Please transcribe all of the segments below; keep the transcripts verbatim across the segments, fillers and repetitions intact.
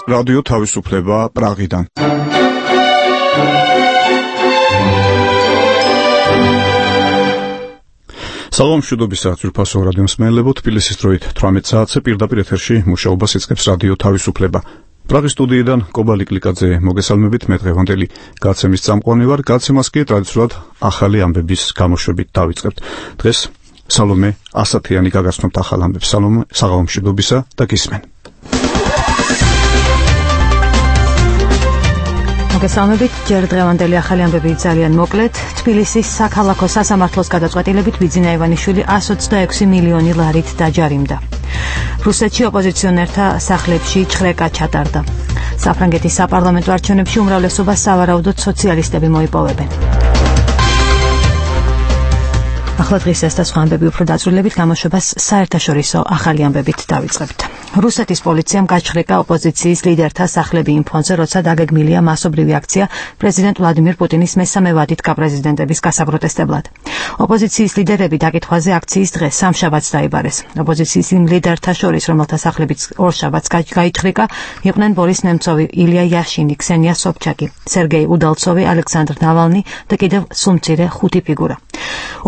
რადიო თავისუფლება პრაღიდან. სალამ მშვიდობისა ძვირფასო რადიო მსმენელებო, თბილისის დროით თვრამეტ საათზე პირდაპირ ეთერში მუშაობას იწყებს რადიო თავისუფლება. პრაღის სტუდიიდან კობალი კლიკაძე მოგესალმებით, მე დღევანდელი გაცემის წამყვანი ვარ. გაცემას კი ტრადიციულად ახალი ამბების გამოშვებით დავიწყებთ. დღეს სალომე ასათიანი გაგაცნობთ ახალ ამბებს. სალომე, საღამო მშვიდობისა და გისმენ. მოგესალმებით, ჯერ დღევანდელი ახალი ამბები ძალიან მოკლედ. თბილისის საქალაქო სასამართლოს გადაწყვეტილებით ბიძინა ივანიშვილი εκατს ოცდაექვსი მილიონი ლარით დაჯარიმდა. რუსეთში ოპოზიციონერთა სახლებში ჩხრეკა ჩატარდა. საფრანგეთის საპარლამენტო არჩევნებში უმრავლესობას სავარაუდოდ სოციალისტები მოიპოვებენ. ახლა დღის ეს და სხვა ამბები უფრო დაწვრილებით გამოშვებას საერთაშორისო ახალი ამბებით დავიწყებთ. რუსეთის პოლიციამ გაჩხრეკა ოპოზიციის ლიდერთა სახლები იმ ფონზე, როცა დაგეგმილია მასობრივი აქცია პრეზიდენტ ვლადიმირ პუტინის მესამე ვადით გაპრეზიდენტების გასაპროტესტებლად. ოპოზიციის ლიდერები დაკითხვაზე აქციის დღეს სამშაბათს დაიბარეს. ოპოზიციის იმ ლიდერთა შორის, რომელთა სახლებიც ორშაბათს გაიჩხრეკა, იყვნენ ბორის ნემცოვი, ილია იაშინი, ქსენია სობჩაკი, სერგეი უდალცოვი, ალექსანდრ ნავალნი და კიდევ სულ მცირე ხუთი ფიგურა.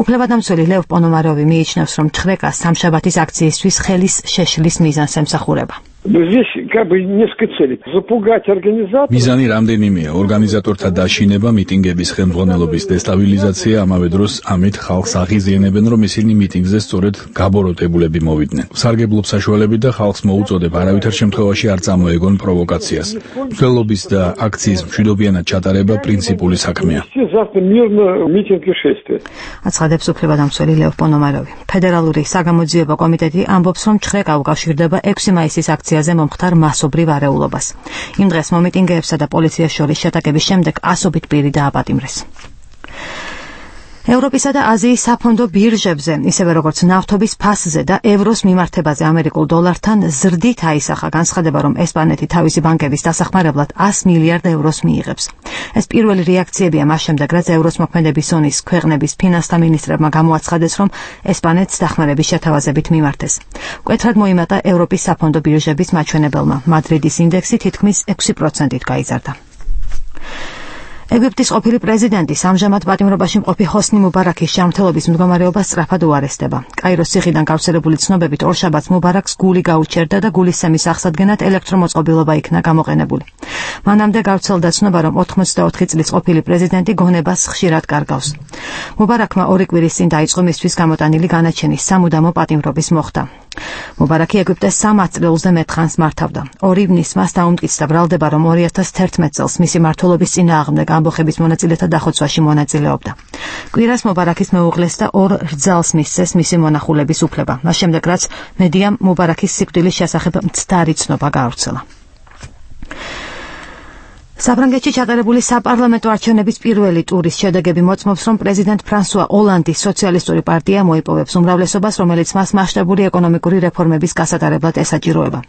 უფლებადამცველი ლევ პონომაროვი მიიჩნევს, რომ ჩხრეკა სამშაბათის აქციისთვის ხელის შეშლის მიზანს ემსახურება. Здесь как бы несколько целей. Запугать организаторов. მიზანი რამდენიმეა: ორგანიზატორთა დაშინება, მიტინგების ხელმძღვანელობის დესტაბილიზაცია, ამავე დროს ამით ხალხს აღიზიანებენ, რომ ისინი მიტინგზე სწორედ გაბოროტებულები მოვიდნენ. სარგებლობ საშუალებით და ხალხს მოუწოდებ არავითარ შემთხვევაში არ წამოეგონ პროვოკაციას. მცველობის და აქციის მშვიდობიანად ჩატარება პრინციპული საქმეა. აცხადებს უფლებადამცველი ლევ პონომაროვი. ფედერალური საგამოძიებო კომიტეტი ამბობს, რომ ჩხრეკა უკავშირდება ექვსი მაისის აქციაზე მომხდარ მასობრივ არეულობას. იმ დღეს მომიტინგეებსა და პოლიციას შორის შეტაკების შემდეგ ასობით პირი დააპატიმრეს. ევროპისა და აზიის საფონდო ბირჟებზე, ისევე როგორც ნავთობის ფასზე და ევროს მიმართებაზე ამერიკულ დოლართან ზრდით აისახა განცხადება, რომ ესპანეთი თავისი ბანკების დასახმარებლად εκατო მილიარდ ევროს მიიღებს. ეს პირველი რეაქციებია მას შემდეგ, რაც ევროს მოქმედების ზონის ქვეყნების ფინანსთა მინისტრებმა გამოაცხადეს, რომ ესპანეთს დახმარების შეთავაზებით მიმართეს. მკვეთრად მოიმატა ევროპის საფონდო ბირჟების მაჩვენებელმა. მადრიდის ინდექსი თითქმის ექვსი პროცენტით გაიზარდა. ეგვიპტის ყოფილი პრეზიდენტი ამჟამად პატიმრობაში მყოფი ჰოსნი მუბარაქის ჯანმრთელობის მდგომარეობა სწრაფად უარესდება. კაიროს ციხიდან გავრცელებული ცნობებით ორშაბათს მუბარაქს გული გაუჩერდა და გულისცემის აღსადგენად ელექტრომოწყობილობა იქნა გამოყენებული. მანამდე გავრცელდა ცნობა, რომ ოთხმოცდაოთხი წლის ყოფილი პრეზიდენტი გონებას ხშირად კარგავს. მუბარაქმა ორი კვირის წინ დაიწყო მისთვის გამოტანილი განაჩენის სამუდამო პატიმრობის მოხდა. მუბარაკი ეგვიპტეს სამ ათწლეულზე მეთხანს მართავდა. ორი ივნის მას დაუმტკიცდა ბრალდება, რომ ორი ათას თერთმეტ წელს მისი მმართველობის წინააღმდეგ ამბოხების მონაწილეთა დახოცვაში მონაწილეობდა. კვირას მუბარაკის მეუღლეს და ორ რძალს მისცეს მისი მონახულების უფლება. მას შემდეგ, რაც მედიამ მუბარაკის სიკვდილის შესახებ მცდარი ცნობა გაავრცელა. საფრანგეთში ჩატარებული საპარლამენტო არჩევნების პირველი ტურის შედეგები მოწმობს, რომ პრეზიდენტ ფრანსუა ოლანდის სოციალისტური პარტია მოიპოვებს უმრავლესობას, რომელიც მას მასშტაბური ეკონომიკური რეფორმების გასატარებლად ესაჭიროება.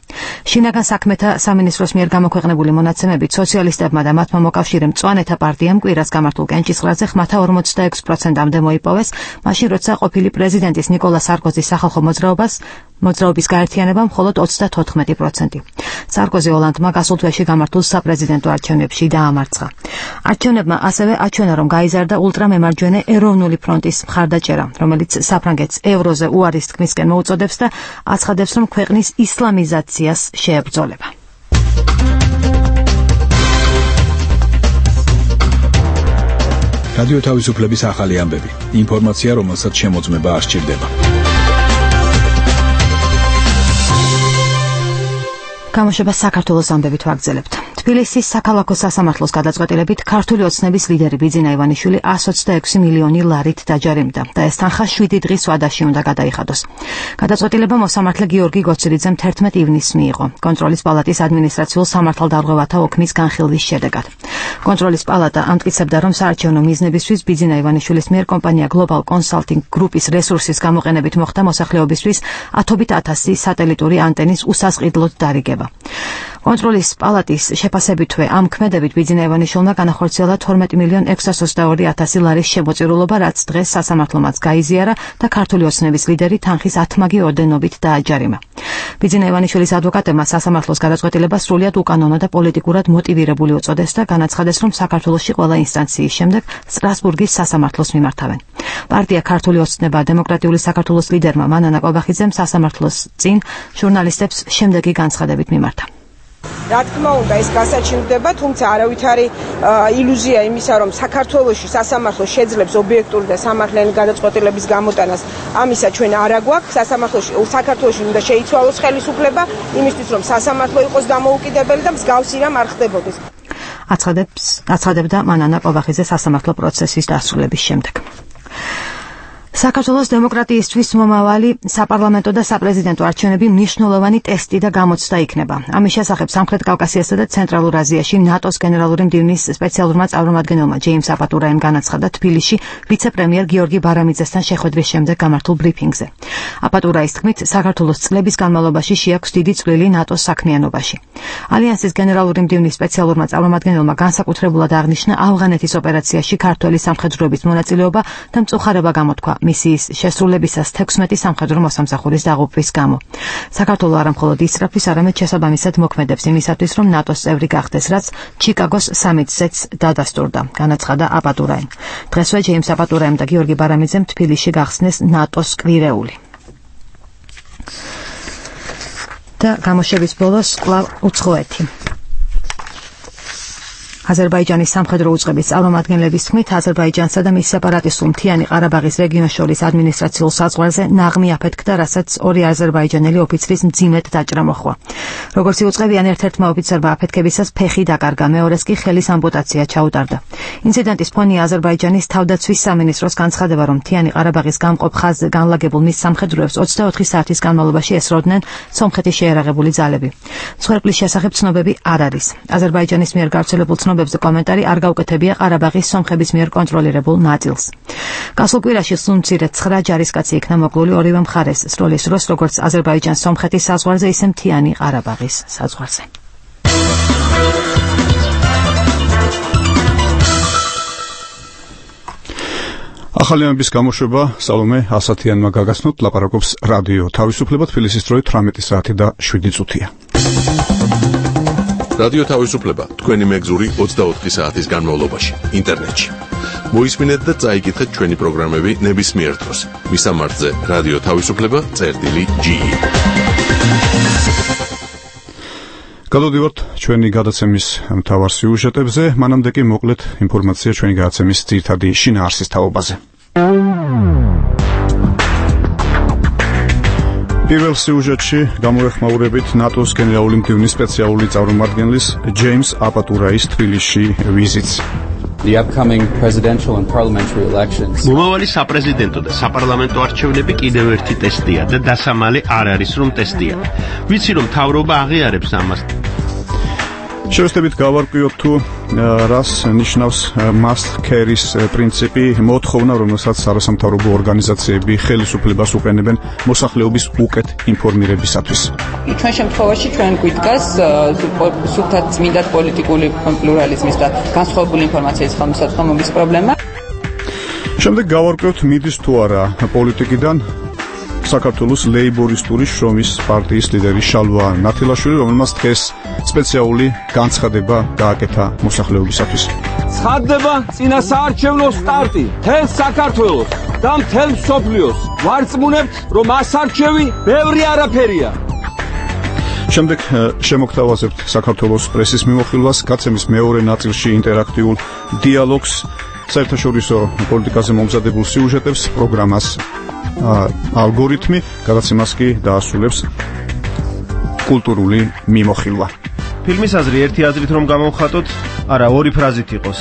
შინაგან საქმეთა სამინისტროს მიერ გამოქვეყნებული მონაცემებით სოციალისტებმა და მათმა მოკავშირემ მწვანეთა პარტიამ კვირას გამართულ კენჭისყრაზე ხმათა ორმოცდაექვსი პროცენტამდე მოიპოვეს, მაშინ როცა ყოფილი პრეზიდენტის ნიკოლა სარკოზის სახალხო მოძრაობას მოძრაობის გაერთიანებამ მხოლოდ ოცდათოთხმეტი პროცენტი. სარკოზი ოლანდმა გასულ თვეში გამართულ საპრეზიდენტო არჩევნებში დაამარცხა. არჩევნებმა ასევე აჩვენა, რომ გაიზარდა ულტრამემარჯვენე ეროვნული ფრონტის მხარდაჭერა, რომელიც საფრანგეთს ევროზე უარის თქმისკენ მოუწოდებს და აცხადებს, რომ ქვეყნის ისლამიზაციას შეებრძოლება. რადიო თავისუფლების ახალი ამბები. ინფორმაცია, რომელსაც შემოწმება არ სჭირდება. გამოშვებას საქართველოს ამბებით ვაგრძელებთ. თბილისის საქალაქო სასამართლოს გადაწყვეტილებით ქართული ოცნების ლიდერი ბიძინა ივანიშვილი εκατს ოცდაექვსი მილიონი ლარით დაჯარიმდა და ეს თანხა შვიდი დღის ვადაში უნდა გადაიხადოს. გადაწყვეტილება მოსამართლე გიორგი გოცირიძემ თერთმეტ ივნისს მიიღო კონტროლის პალატის ადმინისტრაციულ სამართალდარღვევათა ოქმის განხილვის შედეგად. კონტროლის პალატა ამტკიცებდა, რომ საარჩევნო მიზნებისთვის ბიძინა ივანიშვილის მიერ კომპანია Global Consulting Group-ის რესურსის გამოყენებით მოხდა მოსახლეობისთვის ათობით ათასი სატელიტური ანტენის უსასყიდლოდ დარიგება. კონტროლის პალატის შეფასებითვე ამ ქმედებით ბიძინა ივანიშვილმა განახორციელა თორმეტი მილიონ ექვსას ოცდაორი ათასი ლარის შემოწირულობა, რაც დღეს სასამართლომაც გაიზიარა და ქართული ოცნების ლიდერი თანხის ათმაგი ორდენობით დააჯარიმა. ბიძინა ივანიშვილის ადვოკატებმა სასამართლოს გადაწყვეტილება სრულიად უკანონო და პოლიტიკურად მოტივირებული უწოდეს და განაცხადეს, რომ საქართველოში ყველა ინსტანციის შემდეგ სტრასბურგის სასამართლოს მიმართავენ. პარტია ქართული ოცნება დემოკრატიული საქართველოს ლიდერმა მანანა კვაბახიძემ სასამართლოს წინ ჟურნალისტებს შემდეგი განცხადებით მიმართა. რა თქმა უნდა, ეს გასაჩივრდება, თუმცა არავითარი ილუზია იმისა, რომ საქართველოში სასამართლო შეძლებს ობიექტური და სამართლიანი გადაწყვეტილების გამოტანას, ამისა ჩვენ არ აგვაქვს. სასამართლოში საქართველოში უნდა შეიცვალოს ხელისუფლება, იმისთვის რომ სასამართლო იყოს დამოუკიდებელი და მსგავსი რამ არ ხდებოდეს. აცხადებს აცხადებდა მანანა კვაბახიძე სასამართლო პროცესის დასრულების შემდეგ. საქართველოს დემოკრატიისთვის მომავალი საპარლამენტო და საპრეზიდენტო არჩევნები მნიშვნელოვანი ტესტი და გამოცდა იქნება. ამის შესახებ სამხრეთ კავკასიასა და ცენტრალურ აზიაში ნატოს გენერალური მდივნის სპეციალურმა წარმომადგენელმა ჯეიმს აპატურაემ განაცხადა თბილისში ვიცე-პრემიერ გიორგი ბარამიძესთან შეხვედრის შემდეგ გამართულ ბრიფინგზე. აპატურაის თქმით, საქართველოს წლების განმავლობაში შეაქვს დიდი წვლილი ნატოს საქმიანობაში. ალიანსის გენერალური მდივნის სპეციალურმა წარმომადგენელმა განსაკუთრებულად აღნიშნა ავღანეთის ოპერაციაში ქართველი სამხედროების მონაწილეობა და მწუხარება გამოთქვა მისიის შესრულებისას თექვსმეტი სამხედრო მოსამსახურის დაღუპვის გამო. საქართველო არა მხოლოდ ისწრაფვის, არამედ შესაბამისად მოქმედებს იმისათვის, რომ ნატოს წევრი გახდეს, რაც ჩიკაგოს სამიტზეც დადასტურდა, განაცხადა აპატურაემ. დღესვე ჯეიმს აპატურაემ და გიორგი ბარამიძემ თბილისში გახსნეს ნატოს კვირეული. და გამოშვების ბოლოს კვლავ უცხოეთი. აზერბაიჯანის სამხედრო უწყების წარმომადგენლების თქმით, აზერბაიჯანსა და მის სეპარატისტულ მთიანი ყარაბაღის რეგიონს შორის ადმინისტრაციულ საზღვარზე ნაღმი აფეთქდა, რასაც ორი აზერბაიჯანელი ოფიცრის მძიმედ დაჭრა მოჰყვა. როგორც იუწყებიან, ერთ-ერთმა ოფიცერმა აფეთქებისას ფეხი დაკარგა, მეორეს კი ხელის ამპუტაცია ჩაუტარდა. ინციდენტის ფონია აზერბაიჯანის თავდაცვის სამინისტროს განცხადება, რომ მთიანი ყარაბაღის გამყოფ ხაზზე განლაგებულ მის სამხედროებს ოცდაოთხი საათის განმავლობაში ესროდნენ სომხეთის შეიარაღებული ძალები. მსხვერპლის შესახებ ცნობები არ არის. აზერბაიჯანის მიერ გავრცელებულ ცნობებზე კომენტარი არ გაუკეთებია ყარაბაღის სომხების მიერ კონტროლირებულ ნაწილს. გასულ კვირაში სულ მცირე ცხრა ჯარისკაცი იქნა მოკლული ორივე მხარეს სროლის დროს, როგორც აზერბაიჯანს სომხეთის საზღვარზე, ისე მთიანი ყარაბაღის საზღვარზე. ახალი ამბის გამოშვება სალომე ასათიანმა გაგაცნოთ, ლაპარაკობს რადიო თავისუფლება, თბილისის დროით თვრამეტი საათი და შვიდი წუთია. რადიო თავისუფლება, თქვენი მეგზური ოცდაოთხი საათის განმავლობაში, ინტერნეტში. მოისმინეთ და წაიკითხეთ ჩვენი პროგრამები ნებისმიერ დროს. მისამართზე რადიო თავისუფლება, წერტილი ჯი. გადავდივართ ჩვენი გადაცემის მთავარ სიუჟეტებზე, მანამდე კი მოკლედ ინფორმაცია ჩვენი გადაცემის ძირითადი შინაარსის თაობაზე. პირველ სიუჟეტში გამოეხმაურებით ნატოს გენერალური მდივნის სპეციალური წარმომადგენლის ჯეიმს აპატურაის თბილისში ვიზიტს. The upcoming presidential and parliamentary elections. მომავალი საპრეზიდენტო და საპარლამენტო არჩევნები კიდევ ერთი ტესტია და დასამალი არ არის რომ ტესტია. ვიცი რომ მთავრობა აღიარებს ამას. შევეცდებით გავარკვიოთ თუ რას ნიშნავს must carry-ის პრინციპი, მოთხოვნა, რომელსაც არასამთავრობო ორგანიზაციები ხელისუფლებას უყენებენ მოსახლეობის უკეთ ინფორმირებისათვის. ჩვენ შემთხვევაში ჩვენ გვიდგას სულთად წმინდა პოლიტიკური პლურალიზმის და განსხვავებული ინფორმაციის ხელმისაწვდომობის პრობლემა. შემდეგ გავარკვიოთ მიდის თუ არა პოლიტიკიდან საქართველოს ლეიბორისტული შრომის პარტიის ლიდერი შალვა ნათილაშვილი, რომელმაც დღეს სპეციალური განცხადება გააკეთა მოსახლეობისათვის. ცხადდება წინა საარჩევნო სტარტი მთელ საქართველოს და მთელ მსოფლიოს. ვარწმუნებთ, რომ ასარჩევი ბევრი არაფერია. შემდეგ შემოგთავაზებთ საქართველოს პრესის მიმოხილვას, გაცემის მეორე ნაწილში ინტერაქტიულ დიალოგს, საერთაშორისო პოლიტიკაზე მომზადებულ სიუჟეტებს, პროგრამას ალგორითმი, გადაცემას კი დაასრულებს კულტურული მიმოხილვა. ფილმის აზრი ერთი აზრით რომ გამოვხატოთ, არა ორი ფრაზით იყოს.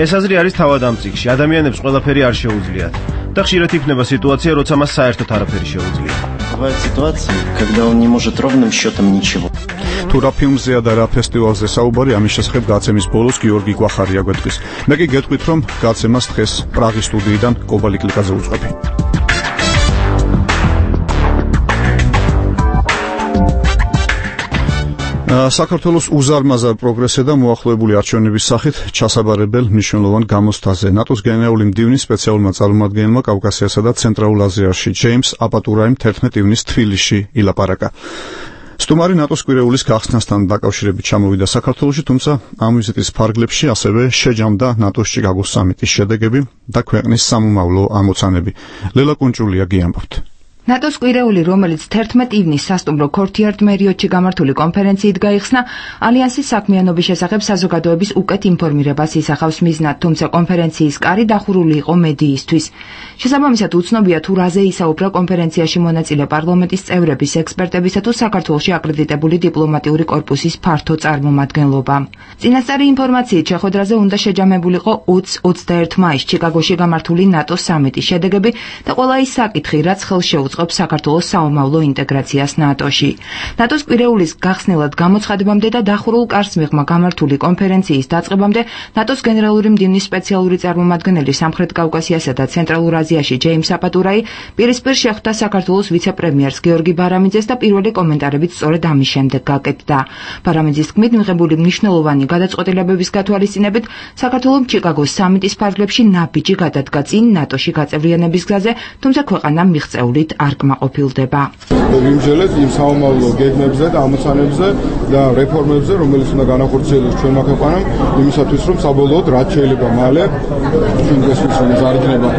ეს აზრი არის თავად ამ წიგნში. ადამიანებს ყველაფერი არ შეუძლიათ და ხშირად იქნება სიტუაცია, როცა მას საერთოდ არაფერი შეუძლია. Бывают ситуации, когда он не может ровным счетом ничего. თუ რა ფილმზეა და რა ფესტივალზე საუბარი, ამის შესახებ გაცემის ბოლოს გიორგი კვახარია გვეტყვის. მე კი გეტყვით, რომ გაცემას დღეს პრაღის სტუდიიდან კობალი კლიკაზე უძღვები. საქართველოს უზარმაზარ პროგრესზე და მოახლოებული არჩევნების სახით ჩასაბარებელ მნიშვნელოვან გამოცდაზე ნატოს გენერალური მდივნის სპეციალურმა წარმომადგენელმა კავკასიასა და ცენტრალურ აზიაში ჯეიმს აპატურაიმ თერთმეტი ივნის თბილისში ილაპარაკა. სტუმარი ნატოს კვირეულის გახსნასთან დაკავშირებით ჩამოვიდა საქართველოში, თუმცა ამ ვიზიტის ფარგლებში ასევე შეჯამდა ნატოს ჩიკაგოს სამიტის შედეგები და ქვეყნის სამომავლო ამოცანები. ლელა კუნჭულია გიამბობთ. ნატოს კვირეული, რომელიც თერთმეტი ივნის სასტუმრო ქორთიარდ მერიოტში გამართული კონფერენციით გაიხსნა, ალიანსის საქმიანობის შესახებ საზოგადოების უკეთ ინფორმირებას ისახავს მიზნად, თუმცა კონფერენციის კარი დახურული იყო მედიისთვის. შესაბამისად, უცნობია თუ რაზე ისაუბრა კონფერენციაში მონაწილე პარლამენტის წევრების, ექსპერტებისა თუ საქართველოში აკრედიტებული დიპლომატიური კორპუსის ფართო წარმომადგენლობა. წინასწარი ინფორმაციით შეხვედრაზე უნდა შეჯამებულიყო ოცი ოცდაერთი მაისს ჩიკაგოში გამართული ნატოს სამიტის შედეგები და ყველა ის საკითხი, რაც ხელს შეუწყობს საქართველოს საომავლო ინტეგრაციას ნატოში. ნატოს კვირეულის გახსნილად გამოცხადებამდე და დახურულ კარს მიღმა გამართული კონფერენციის დაწყებამდე ნატოს გენერალური მდივნის სპეციალური წარმომადგენელი სამხრეთ კავკასიასა და ცენტრალურ აზიაში ჯეიმს აპატურაი პირისპირ შეხვდა საქართველოს ვიცე-პრემიერს გიორგი ბარამიძეს და პირველი კომენტარებით სწორედ ამის შემდეგ გაკეთდა. ბარამიძის თქმით, მიღებული მნიშვნელოვანი გადაწყვეტილებების გათვალისწინებით საქართველოს ჩიკაგოს სამიტის ფარგლებში ნაბიჯი გადადგა წინ ნატოში გაწევრიანების გზაზე, თუმცა ქვეყანა მიღწეულით არ კმაყოფილდება. ვიმსჯელეთ იმ საომავლო გეგმებზე და ამოცანებზე და რეფორმებზე, რომელიც უნდა განახორციელოს ჩვენმა ქვეყანამ, იმისათვის რომ საბოლოოდ რაც შეიძლება მალე ჩვენ გასვლის რომ ზარდნება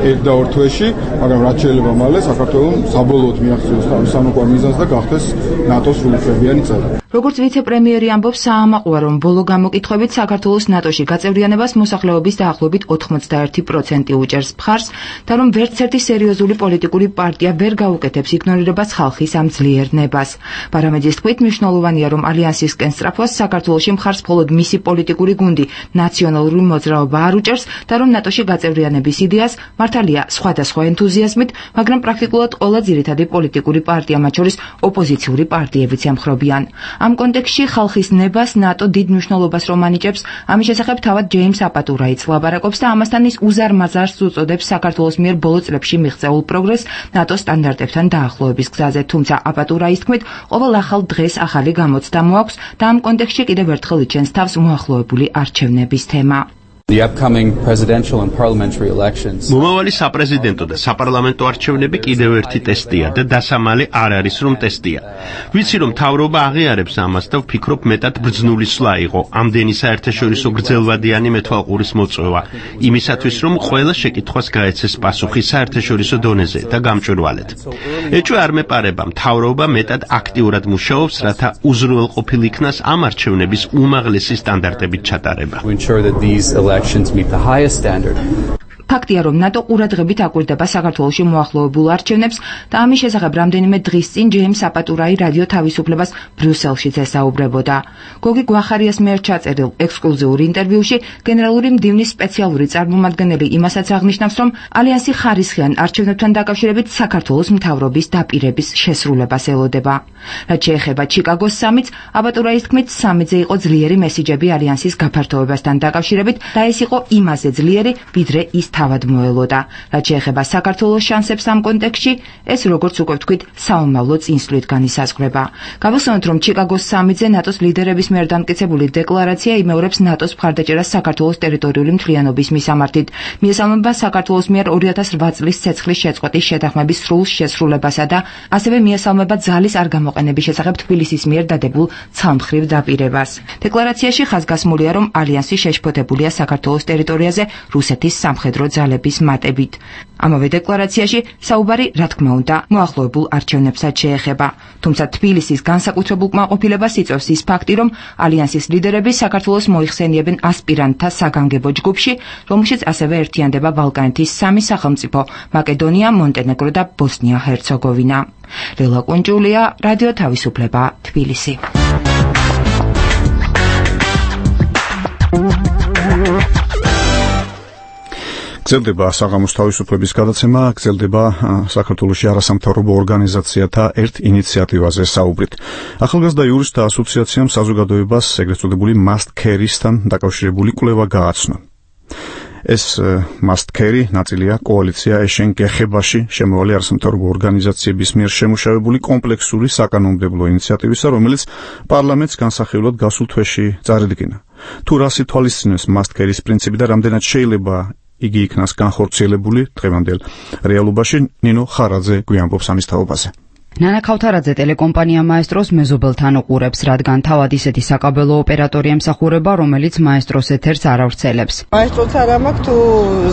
ერთ და ორ თვეში, მაგრამ რაც შეიძლება მალე საქართველოს საბოლოოდ მიაღწიოს თავის სამოყვარ მიზანს და გახდეს ნატოს სრულუფლებიანი წევრი. როგორც ვიცე-პრემიერი ამბობს, საამაყოა, რომ ბოლო გამოკითხვებით საქართველოს ნატოში გაწევრიანებას მოსახლეობის დაახლოებით ოთხმოცდაერთი პროცენტი უჭერს მხარს და რომ ვერცერთი სერიოზული პოლიტიკური პარტია ვერ გაუკეთებს იგნორირებას ხალხის ამ ძლიერნებას. ბარამიძის თქმით, მნიშვნელოვანია, რომ ალიანსისკენ სწრაფვას საქართველოში მხარს მხოლოდ მისი პოლიტიკური გუნდი ნაციონალური მოძრაობა არ უჭერს და რომ ნატოში გაწევრიანების იდეას მართალია სხვადასხვა ენთუზიაზმით, მაგრამ პრაქტიკულად ყველა ძირითადი პოლიტიკური პარტია, მათ შორის ოპოზიციური პარტიებიც ემხრობიან. ამ კონტექსტში ხალხის ნებას ნატო დიდ მნიშვნელობას რომ ანიჭებს, ამის შესახებ თავად ჯეიმს აპატურაიც ლაპარაკობს და ამასთან ის უზარმაზარს უწოდებს საქართველოს მიერ ბოლო წლებში მიღწეულ პროგრესს ნატოს სტანდარტებთან დაახლოების გზაზე, თუმცა აპატურაის თქმით, ყოველ ახალ დღეს ახალი გამოცდა მოაქვს და ამ კონტექსტში კიდევ ერთხელ იჩენს თავს მოახლოებული არჩევნების თემა. The upcoming presidential and parliamentary elections. მომავალი საპრეზიდენტო და საპარლამენტო არჩევნები კიდევ ერთი ტესტია და დასამალი არ არის რომ ტესტია. ვიცი რომ მთავრობა აღიარებს ამას და ვფიქრობ მეტად ბრძნული სვლა იყო ამდენი საერთაშორისო გრძელვადიანი მეთვალყურის მოწვევა იმისათვის რომ ყველა შეკითხვას გაეცეს პასუხი საერთაშორისო დონეზე და გამჭვირვალედ. ეჭვი არ მეპარება, მთავრობა მეტად აქტიურად მუშაობს, რათა უზრუნველყოფილ იქნას ამ არჩევნების უმაღლესი სტანდარტებით ჩატარება. Elections meet the highest standard. ფაქტია, რომ ნატო ყურადღებით აკვირდება საქართველოში მოახლოებულ არჩევნებს და ამის შესახებ რამდენიმე დღის წინ ჯეიმს აპატურაი რადიო თავისუფლებას ბრიუსელშიც ესაუბრებოდა. გოგი გვახარიას მიერ ჩაწერილ ექსკლუზიურ ინტერვიუში გენერალური მდივნის სპეციალური წარმომადგენელი იმასაც აღნიშნავს, რომ ალიანსი ხარისხიან არჩევნებთან დაკავშირებით საქართველოს მთავრობის დაპირების შესრულებას ელოდება. რაც შეეხება ჩიკაგოს სამიტს, აპატურაის თქმით, სამიტზე იყო ძლიერი მესიჯები ალიანსის გაფართოებასთან დაკავშირებით და ეს იყო იმაზე ძლიერი, ვიდრე ის თავად მოელოდა. რაც შეეხება საქართველოს შანსებს ამ კონტექსტში, ეს როგორც უკვე ვთქვით, საომავლო წინსვლით განისაზღვრება. გავიხსენოთ, რომ ჩიკაგოს სამიტზე ნატოს ლიდერების მიერ დამტკიცებული დეკლარაცია იმეორებს ნატოს მხარდაჭერას საქართველოს ტერიტორიული მთლიანობის მისამართით. მიესალმება საქართველოს მიერ ორი ათას რვა წლის ცეცხლის შეწყვეტის შეთანხმების სრულ შესრულებასა და ასევე მიესალმება ძალის არ გამოყენების შესახებ თბილისის მიერ დადებულ ცალმხრივ დაპირებას. დეკლარაციაში ხაზგასმულია, რომ ალიანსი შეშფოთებულია საქართველოს ტერიტორიაზე რუსეთის სამხედრო ძალების მატებით. ამავე დეკლარაციაში საუბარი, რა თქმა უნდა, მოახლოებულ არჩევნებსაც შეეხება. თუმცა თბილისის განსაკუთრებულ კმაყოფილებას იწვევს ის ფაქტი, რომ ალიანსის ლიდერები საქართველოს მოიხსენიებენ ასპირანტთა საგანგებო ჯგუფში, რომელშიც ასევე ერთიანდება ბალკანეთის სამი სახელმწიფო: მაკედონია, მონტენეგრო და ბოსნია-ჰერცეგოვინა. ლელა კუნჭულია, რადიო თავისუფლება, თბილისი. გრძელდება საღამოს თავისუფლების გადაცემა, გრძელდება საქართველოში არასამთავრობო ორგანიზაციათა ერთ ინიციატივაზე საუბრით. ახალგაზრდა იურისტთა ასოციაციამ საზოგადოებას ეგრეთ წოდებული must carry-სთან დაკავშირებული კვლევა გააცნო. ეს must carry ნაწილია კოალიცია ეშენ გეხებაში შემოვალი არასამთავრობო ორგანიზაციების მიერ შემუშავებული კომპლექსური საკანონმდებლო ინიციატივისა, რომელიც პარლამენტს განსახილვად გასულ თვეში წარადგინა. თუ რას ითვალისწინებს must carry-ის პრინციპი და რამდენად შეიძლება იგი იქნას განხორციელებული დღევანდელ რეალობაში, ნინო ხარაძე გვიამბობს ამის თაობაზე. ნანა ქავთარაძე ტელეკომპანია მაესტროს მეზობელთან უყურებს, რადგან თავად ისეთი საკაბელო ოპერატორი ემსახურება, რომელიც მაესტროს ეთერს არ ავრცელებს. მაესტროც არ ამაქვს, თუ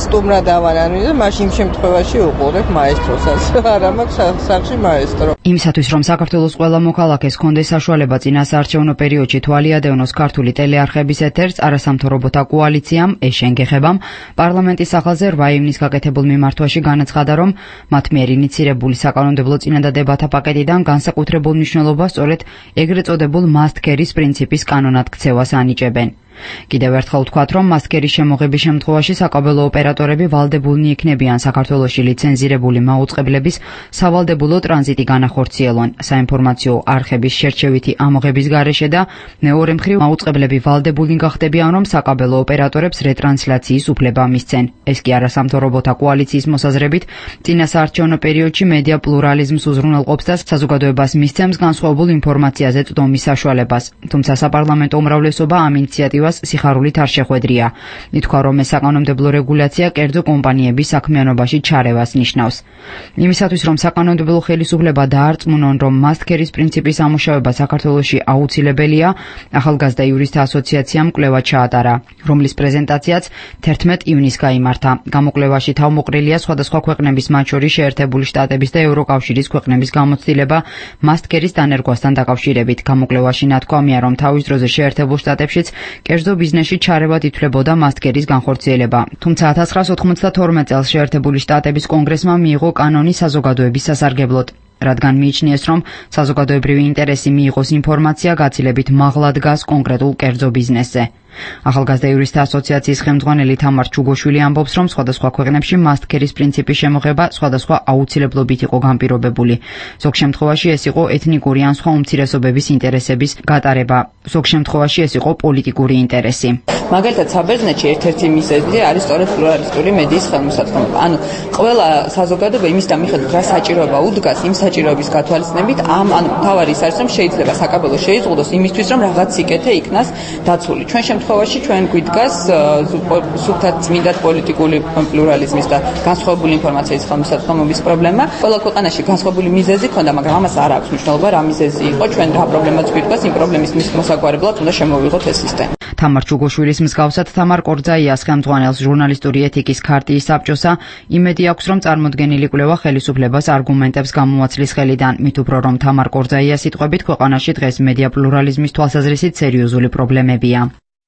სტუმრად ავარანი და მაშინ შემთხვევაში უყურებ მაესტროსაც. არ ამაქვს სახში მაესტრო. იმისათვის, რომ საქართველოს ყველა მოქალაქეს ჰქონდეს საშუალება წინასაარჩევნო პერიოდში თვალიადევნოს ქართული ტელეარხების ეთერს, არასამთავრობოთა კოალიციამ ეშენ გეხებამ პარლამენტის სახელზე რვა ივნის გაკეთებულ მიმართვაში განაცხადა, რომ მათ მიერ ინიცირებული საკანონმდებლო წინადადებათა პაკეტიდან განსაკუთრებულ მნიშვნელობას სწორედ ეგრეთ წოდებულ must carry-ის პრინციპის კანონად ქცევას ანიჭებენ. კიდევ ერთხელ ვთქვათ, რომ must carry-ის შემოღების შემთხვევაში საკაბელო ოპერატორები ვალდებულნი იქნებიან საქართველოში ლიცენზირებული მაუწყებლების სავალდებულო ტრანზიტი განახორციელონ საინფორმაციო არხების შერჩევითი ამოღების გარეშე და მეორე მხრივ მაუწყებლები ვალდებულნი გახდებიან, რომ საკაბელო ოპერატორებს რეტრანსლაციის უფლება მისცენ. ეს კი არასამთავრობოთა კოალიციის მოსაზრებით წინასაარჩევნო პერიოდში მედია პლურალიზმს უზრუნველყოფს და საზოგადოებას მისცემს განსხვავებულ ინფორმაციაზე წვდომის საშუალებას. თუმცა საპარლამენტო უმრავლესობა ამ ინიციატივას სიხარულით არ შეხვედრია. ითქვა, რომ ეს საკანონმდებლო რეგულაცია კერძო კომპანიების საქმიანობაში ჩარევას ნიშნავს. იმისათვის, რომ საკანონმდებლო ხელისუფლება დაარწმუნონ, რომ must carry-ის პრინციპის ამუშავება საქართველოში აუცილებელია, ახალგაზრდა იურისტთა ასოციაციამ კვლევა ჩაატარა, რომლის პრეზენტაციაც თერთმეტ ივნისს გაიმართა. გამოკვლევაში თავმოყრილია სხვადასხვა ქვეყნების, მათ შორის შეერთებული შტატების და ევროკავშირის ქვეყნების გამოცდილება must carry-ის დანერგვასთან დაკავშირებით. გამოკვლევაში ნათქვამია, რომ თავის დროზე შეერთებულ შტატებშიც კერძო ბიზნესში ჩარევად ითვლებოდა must carry-ის განხორციელება. თუმცა ათას ცხრაას ოთხმოცდათორმეტ წელს შეერთებული შტატების კონგრესმა მიიღო კანონი საზოგადოების სასარგებლოდ, რადგან მიიჩნიეს, რომ საზოგადოებრივი ინტერესი მიიღოს ინფორმაცია გაცილებით მაღლა დგას კონკრეტულ კერძო ბიზნესზე. ახალგაზრდა იურისტთა ასოციაციის ხელმძღვანელი თამარ ჩუგოშვილი ამბობს, რომ სხვადასხვა ქვეყნებში must carry-ის პრინციპის შემოღება სხვადასხვა აუცილებლობით იყო განპირობებული. ზოგ შემთხვევაში ეს იყო ეთნიკური ან სხვა უმცირესობების ინტერესების გატარება, ზოგ შემთხვევაში ეს იყო პოლიტიკური ინტერესი. მაგალითად, საბერძნეთში ერთ-ერთი მიზეზი არის სწორედ პლურალისტური მედიის ხელმისაწვდომობა. ანუ ყველა საზოგადოება იმის და მიხედვით რა საჭიროება უდგას, იმ საჭიროების გათვალისწინებით, ამ ანუ თავარი ის არის, რომ შეიძლება საკაბელო შეიზღუდოს იმისთვის, რომ რაღაც სიკეთე იქნას დაცული. ჩვენ შემთხვევაში ჩვენ გვიდგას სუფთად წმინდად პოლიტიკური პლურალიზმის და განსხვავებული ინფორმაციის ხელმისაწვდომობის პრობლემა. ყველა ქვეყანაში განსხვავებული მიზეზი ქონდა, მაგრამ ამას არ აქვს მნიშვნელობა, რა მიზეზი იყო. ჩვენ რა პრობლემაც გვიდგას, იმ პრობლემის მოსაგვარებლად უნდა შემოვიღოთ ეს სისტემა. თამარ ჩუგოშვილის მსგავსად თამარ კორძაიას ხელმძღვანელს ჟურნალისტური ეთიკის ქარტიის საბჭოსა იმედი აქვს, რომ წარმოდგენილი კვლევა ხელისუფლებას არგუმენტებს გამოაცლის ხელიდან. მით უფრო, რომ თამარ კორძაიას სიტყვებით ქვეყანაში დღეს მედია პლურალიზმის თვალსაზრისით სერიოზული პრობლემებია.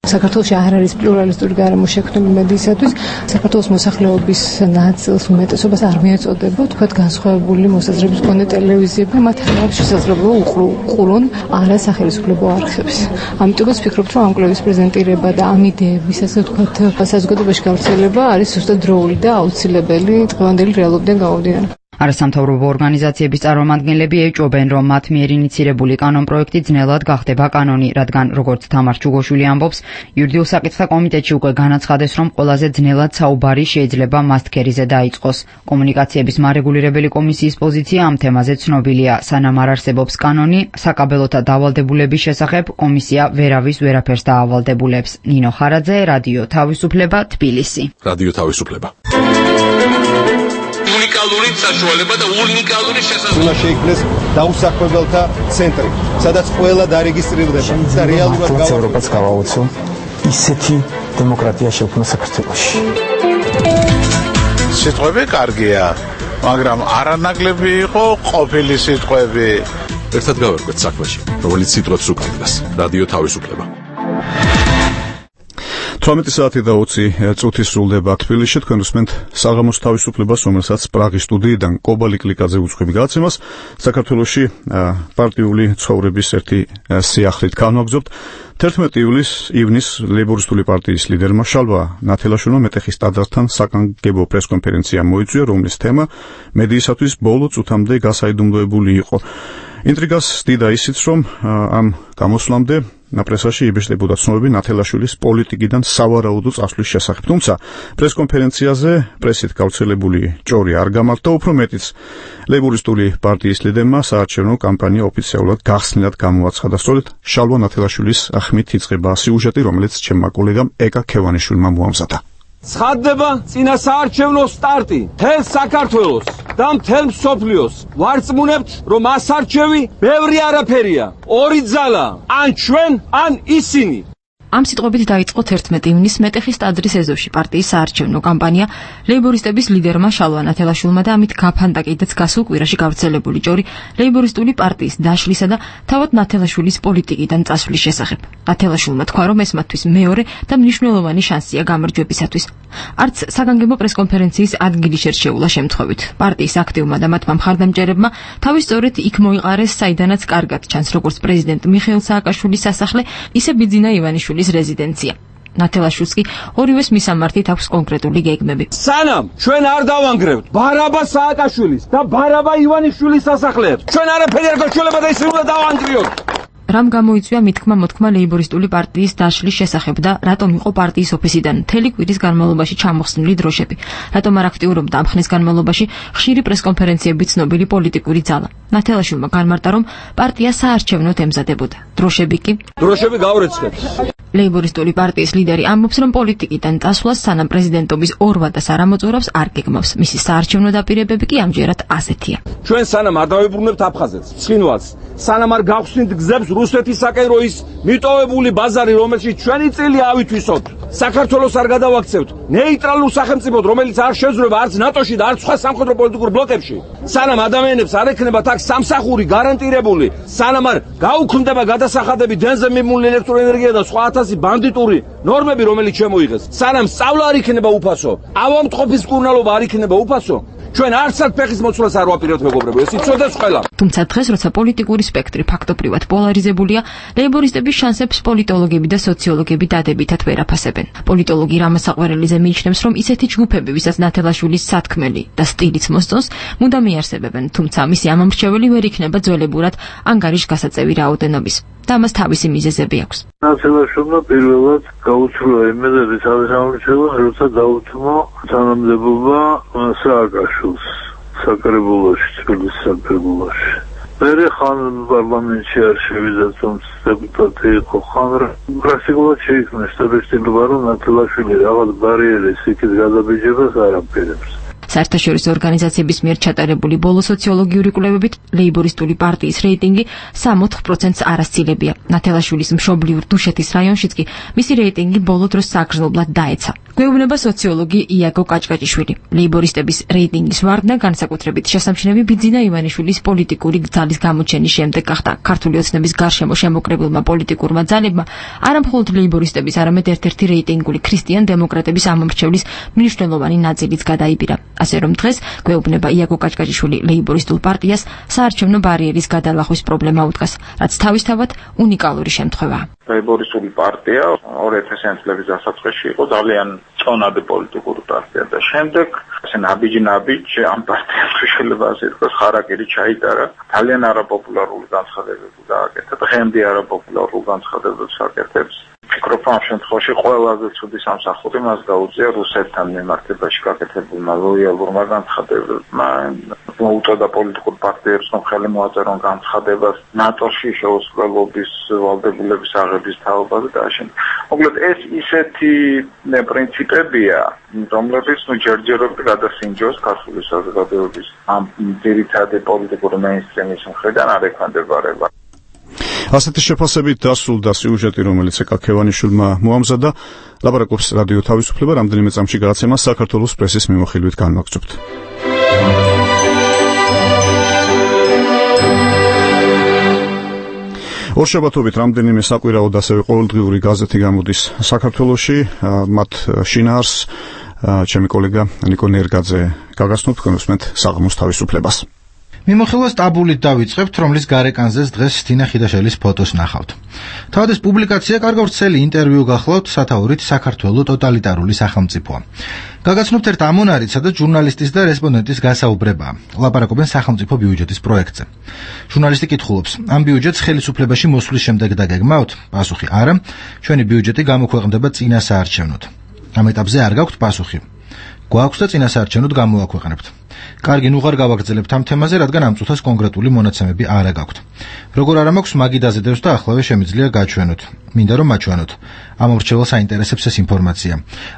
საქართველოში არ არის პლურალისტური გარემო შექმნილი მედიისათვის. საქართველოს მოსახლეობის ნაწილს უმეტესობას არ მიეწოდება, თქვათ, განსხვავებული მოსაზრების მქონე ტელევიზიები, მათ არ აქვს შესაძლებლობა უყურონ არასახელისუფლებო არხებს. ამიტომაც ვფიქრობთ, რომ ამ კვლევის პრეზენტირება და ამ იდეების, ასე ვთქვათ, საზოგადოებაში გავრცელება არის ზუსტად დროული და აუცილებელი დღევანდელი რეალობიდან გამომდინარე. არასამთავრობო ორგანიზაციების წარმომადგენლები ეჭვობენ, რომ მათ მიერ ინიცირებული კანონპროექტი ძნელად გახდება კანონი, რადგან როგორც თამარ ჩუგოშვილი ამბობს, იურიდიულ საკითხთა კომიტეტში უკვე განაცხადეს, რომ ყველაზე ძნელად საუბარი შეიძლება must carry-ზე დაიწყოს. კომუნიკაციების მარეგულირებელი კომისიის პოზიცია ამ თემაზე ცნობილია. სანამ არ არსებობს კანონი, საკაბელოთა დავალდებულების შესახებ კომისია ვერავის ვერაფერს დაავალდებულებს. ნინო ხარაძე, რადიო თავისუფლება, თბილისი. რადიო თავისუფლება. უნიკალური საშუალება და უნიკალური შესაძლებლობა. უნდა შეიქმნეს დაუსაქმებელთა ცენტრი, სადაც ყველა დარეგისტრირდება და რეალურად გავა ევროპაც გავაუწო ისეთი დემოკრატია შექმნა საქართველოში. სიტყვები კარგია, მაგრამ არანაკლები იყო ყოფილი სიტყვები. ერთად გავერკვეთ საქმეში, რომელიც სიტყვებს უკავშირდება. რადიო თავისუფლება. თვრამეტი საათი და ოცი წუთი სრულდება თბილისში. თქვენ უსმენთ საღამოს თავისუფლებას, რომელსაც პრაღის სტუდიიდან კობალი კლიკაძე უძღვები გადაცემას. საქართველოში პარტიული ცხოვრების ერთი სიახლით განვაგრძობთ. თერთმეტი ივნის ლეიბორისტული პარტიის ლიდერმა შალვა ნათელაშვილმა მეტეხის ტაძართან საკანგებო პრესკონფერენცია მოიწვია, რომლის თემა მედიისათვის ბოლო წუთამდე გასაიდუმლოებული იყო. ინტრიგას დიდა ისიც, რომ ამ გამოსვლამდე პრესაში იბეჭდებოდა ცნობები ნათელაშვილის პოლიტიკიდან სავარაუდო წასვლის შესახებ. თუმცა პრესკონფერენციაზე პრესით გავრცელებული ჭორი არ გამართა, უფრო მეტიც ლეიბორისტული პარტიის ლიდერმა საარჩევნო კამპანია ოფიციალურად გახსნილად გამოაცხადა. სწორედ შალვა ნათელაშვილის ახმით იწყება სიუჟეტი, რომელიც ჩემმა კოლეგამ ეკა ქევანიშვილმა მოამზადა. ცხადდება წინა საარჩევნო სტარტი მთელ საქართველოს და მთელ მსოფლიოს. ვარწმუნებთ, რომ ამ არჩევი ბევრი არაფერია, ორი ძალა, ან ჩვენ, ან ისინი. ამ სიტყვებით დაიწყო თერთმეტი ივნისს მეტეხის ტაძრის ეზოში პარტიის საარჩევნო კამპანია ლეიბორისტების ლიდერმა შალვა ნათელაშვილმა და ამით გაფანტა კიდეც გასულ კვირაში გავრცელებული ჭორი ლეიბორისტული პარტიის დაშლისა და თავად ნათელაშვილის პოლიტიკიდან წასვლის შესახებ. ნათელაშვილმა თქვა, რომ ეს მათთვის მეორე და მნიშვნელოვანი შანსია გამარჯვებისათვის. არც საგანგებო პრესკონფერენციის ადგილი შერჩეულა შემთხვევით. პარტიის აქტივმა და მათმა მხარდამჭერებმა თავის სწორედ იქ მოიყარეს, საიდანაც კარგად ჩანს როგორც პრეზიდენტ მიხეილ სააკაშვილის სასახლე, ისე ბიძინა ივანიშვილის რეზიდენცია. ნათელაშვილს კი ორივეს მისამართით აქვს კონკრეტული გეგმები. სანამ ჩვენ არ დავანგრევთ ბარაბა სააკაშვილის და ბარაბა ივანიშვილის სასახლეებს, ჩვენ არაფერი არ გვეშველება და ისე უნდა დავანგრიოთ. რამ გამოიწვია მითქმა მოთქმა ლეიბორისტული პარტიის დაშლის შესახებ და რატომ იყო პარტიის ოფისიდან მთელი კვირის განმავლობაში ჩამოხსნილი დროშები? რატომ არ აქტიურობდა ამ ხნის განმავლობაში ხშირი პრესკონფერენციებით ცნობილი პოლიტიკური ძალა? ნათელაშვილმა განმარტა, რომ პარტია საარჩევნოდ ემზადებოდა. დროშები კი დროშები გავრეცხეთ. ლეიბორისტული პარტიის ლიდერი ამბობს, რომ პოლიტიკიდან წასვლას სანამ პრეზიდენტობის ორ ვადას არ ამოწურავს, არ გეგმავს. მისი საარჩევნო დაპირებები კი ამჯერად ასეთია. ჩვენ სანამ არ დავებრუნებთ აფხაზეთს, ცხინვალს, სანამ არ გავხსნით გზებს რუსეთისაკენ, რო ის მიტოვებული ბაზარი, რომელშიც ჩვენი წილი ავითვისოთ, საქართველოს არ გადავაქცევთ ნეიტრალურ სახელმწიფოდ, რომელიც არ შეძრება არც ნატოში და არც სხვა სამხედრო პოლიტიკურ ბლოკებში, სანამ ადამიანებს არ ექნებათ აქ სამსახური გარანტირებული, სანამ არ გაუქმდება გადასახადები დენზე მიმული ელექტროენერგია და სხვა ათასი ბანდიტური ნორმები, რომელიც შემოიღეს, სანამ სწავლა არ იქნება უფასო, ავადმყოფის მკურნალობა არ იქნება უფასო, ჩვენ არცად ფეხის მოცვლას არ ვაპირებთ, მეგობრებო, ეს იცოდეს ყველა. თუმცა დღეს, როცა პოლიტიკური სპექტრი ფაქტობრივად პოლარიზებულია, ლეიბორისტების შანსებს პოლიტოლოგები და სოციოლოგები დადებითად ვერ აფასებენ. პოლიტოლოგი რამა საყვარელიძე მიიჩნევს, რომ ისეთი ჯგუფები, ვისაც ნათელაშვილის სათქმელი და სტილიც მოსწონს, მუდამ იარსებებენ, თუმცა მისი ამომრჩეველი ვერ იქნება ძველებურად ანგარიშგასაწევი რაოდენობის. და მას თავისი მიზეზები აქვს. ნათელაშვილმა პირველად გაუცრუა იმედები თავის ამორჩევლად, როცა დაუთმო თანამდებობა სააკაშვილს საკრებულოში, თბილისის საკრებულოში. მერე ხან პარლამენტში არ შევიდა, თუმცა დეპუტატი იყო, ხან პრაქტიკულად შეიქმნა შტაბ-ჭრილობა, რომ ნათელაშვილი რაღაც ბარიერის იქით გადაბიჯებას არ აპირებს. საერთაშორისო ორგანიზაციების მიერ ჩატარებული ბოლო სოციოლოგიური კვლევებით ლეიბორისტული პარტიის რეიტინგი სამოთხ პროცენტს არასცილებია. ნათელაშვილის მშობლიურ დუშეთის რაიონშიც კი მისი რეიტინგი ბოლო დროს საგრძნობლად დაეცა. გვეუბნება სოციოლოგი იაგო კაჭკაჭიშვილი. ლეიბორისტების რეიტინგის ვარდნა განსაკუთრებით შესამჩნევი ბიძინა ივანიშვილის პოლიტიკური ძალის გამოჩენის შემდეგ გახდა. ქართული ოცნების გარშემო შემოკრებულმა პოლიტიკურმა ძალებმა არამხოლოდ ლეიბორისტების, არამედ ერთ-ერთი რეიტინგული ქრისტიან დემოკრატების ამომრჩევლის მნიშვნელოვანი ნაწილიც გადაიბირა. ასე რომ დღეს გვეუბნება იაგო კაჭკაჭიშვილი ლეიბორისტულ პარტიას საარჩევნო ბარიერის გადალახვის პრობლემა უდგას, რაც თავისთავად უნიკალური შემთხვევაა. ლეიბორისტული პარტია ორი ათასიანი წლების დასაწყისში იყო ძალიან წონადი პოლიტიკური პარტია და შემდეგ ასე ნაბიჯ-ნაბიჯ ამ პარტიას შეიძლება ასე თქვას ხარაკირი ჩაიტარა, ძალიან არაპოპულარული განცხადებები გააკეთა, დღემდე არაპოპულარულ განცხადებებს აკეთებს. ფიქრობ, ამ შემთხვევაში ყველაზე ცუდი სამსახური მას გაუწია რუსეთთან მიმართებაში გაკეთებულმა ლოიალურმა განცხადებებმა. მოუწოდა პოლიტიკურ პარტიებს, რომ ხელი მოაწერონ განცხადებას ნატოში შეუსყრელობის ვალდებულების აღების თაობაზე და ამავდროულად. მოკლედ ეს ისეთი პრინციპებია, რომლებიც ნუ ჯერჯერობით გადასინჯოს ქართული საზოგადოების ამ ძირითადი პოლიტიკური მეინსტრიმის მხრიდან არ ექვემდებარება. ასეთი შეფასებით დასრულდა სიუჟეტი, რომელიც ეკა ქევანიშვილმა მოამზადა. ლაპარაკობს რადიო თავისუფლება, რამდენიმე წამში გადაცემას საქართველოს პრესის მიმოხილვით განვაგრძობთ. ორშაბათობით რამდენიმე საკვირაოდ ასევე ყოველდღიური გაზეთი გამოდის საქართველოში, მათ შინაარს ჩემი კოლეგა ნიკო ნერგაძე გაგაცნობთ, თქვენ უსმენთ საღამოს თავისუფლებას. მიმოხილვა სტაბულით დავიწყებთ, რომლის გარეკანზეც დღეს თინა ხიდაშელის ფოტოს ნახავთ. თავად ეს პუბლიკაცია კარგ ვრცელი ინტერვიუ გახლავთ სათაურით საქართველოს ტოტალიტარული სახელმწიფოა. გაგაცნობთ ერთ ამონარით, სადაც ჟურნალისტის და რესპონდენტის გასაუბრებაა. ლაპარაკობენ სახელმწიფო ბიუჯეტის პროექტზე. ჟურნალისტი კითხულობს: ამ ბიუჯეტს ხელისუფლებაში მოსვლის შემდეგ დაგეგმავთ? პასუხი: არა, ჩვენი ბიუჯეტი გამოქვეყნდება წინა საარჩევნოდ. ამ ეტაპზე არ გაქვთ პასუხი. გვაქვს და წინა საარჩევნოდ გამოაქვეყნებთ. კარგი, ნუ ღარ გავაგრძელებთ ამ თემაზე, რადგან ამ წუთას კონკრეტული მონაცემები არა გაქვთ. როგორ არა მაქვს, მაგი დაზედებს და ახლავე შემიძლია გაჩვენოთ. მინდა რომ მაჩვენოთ. ამორჩეველს აინტერესებს ეს ინფორმაცია.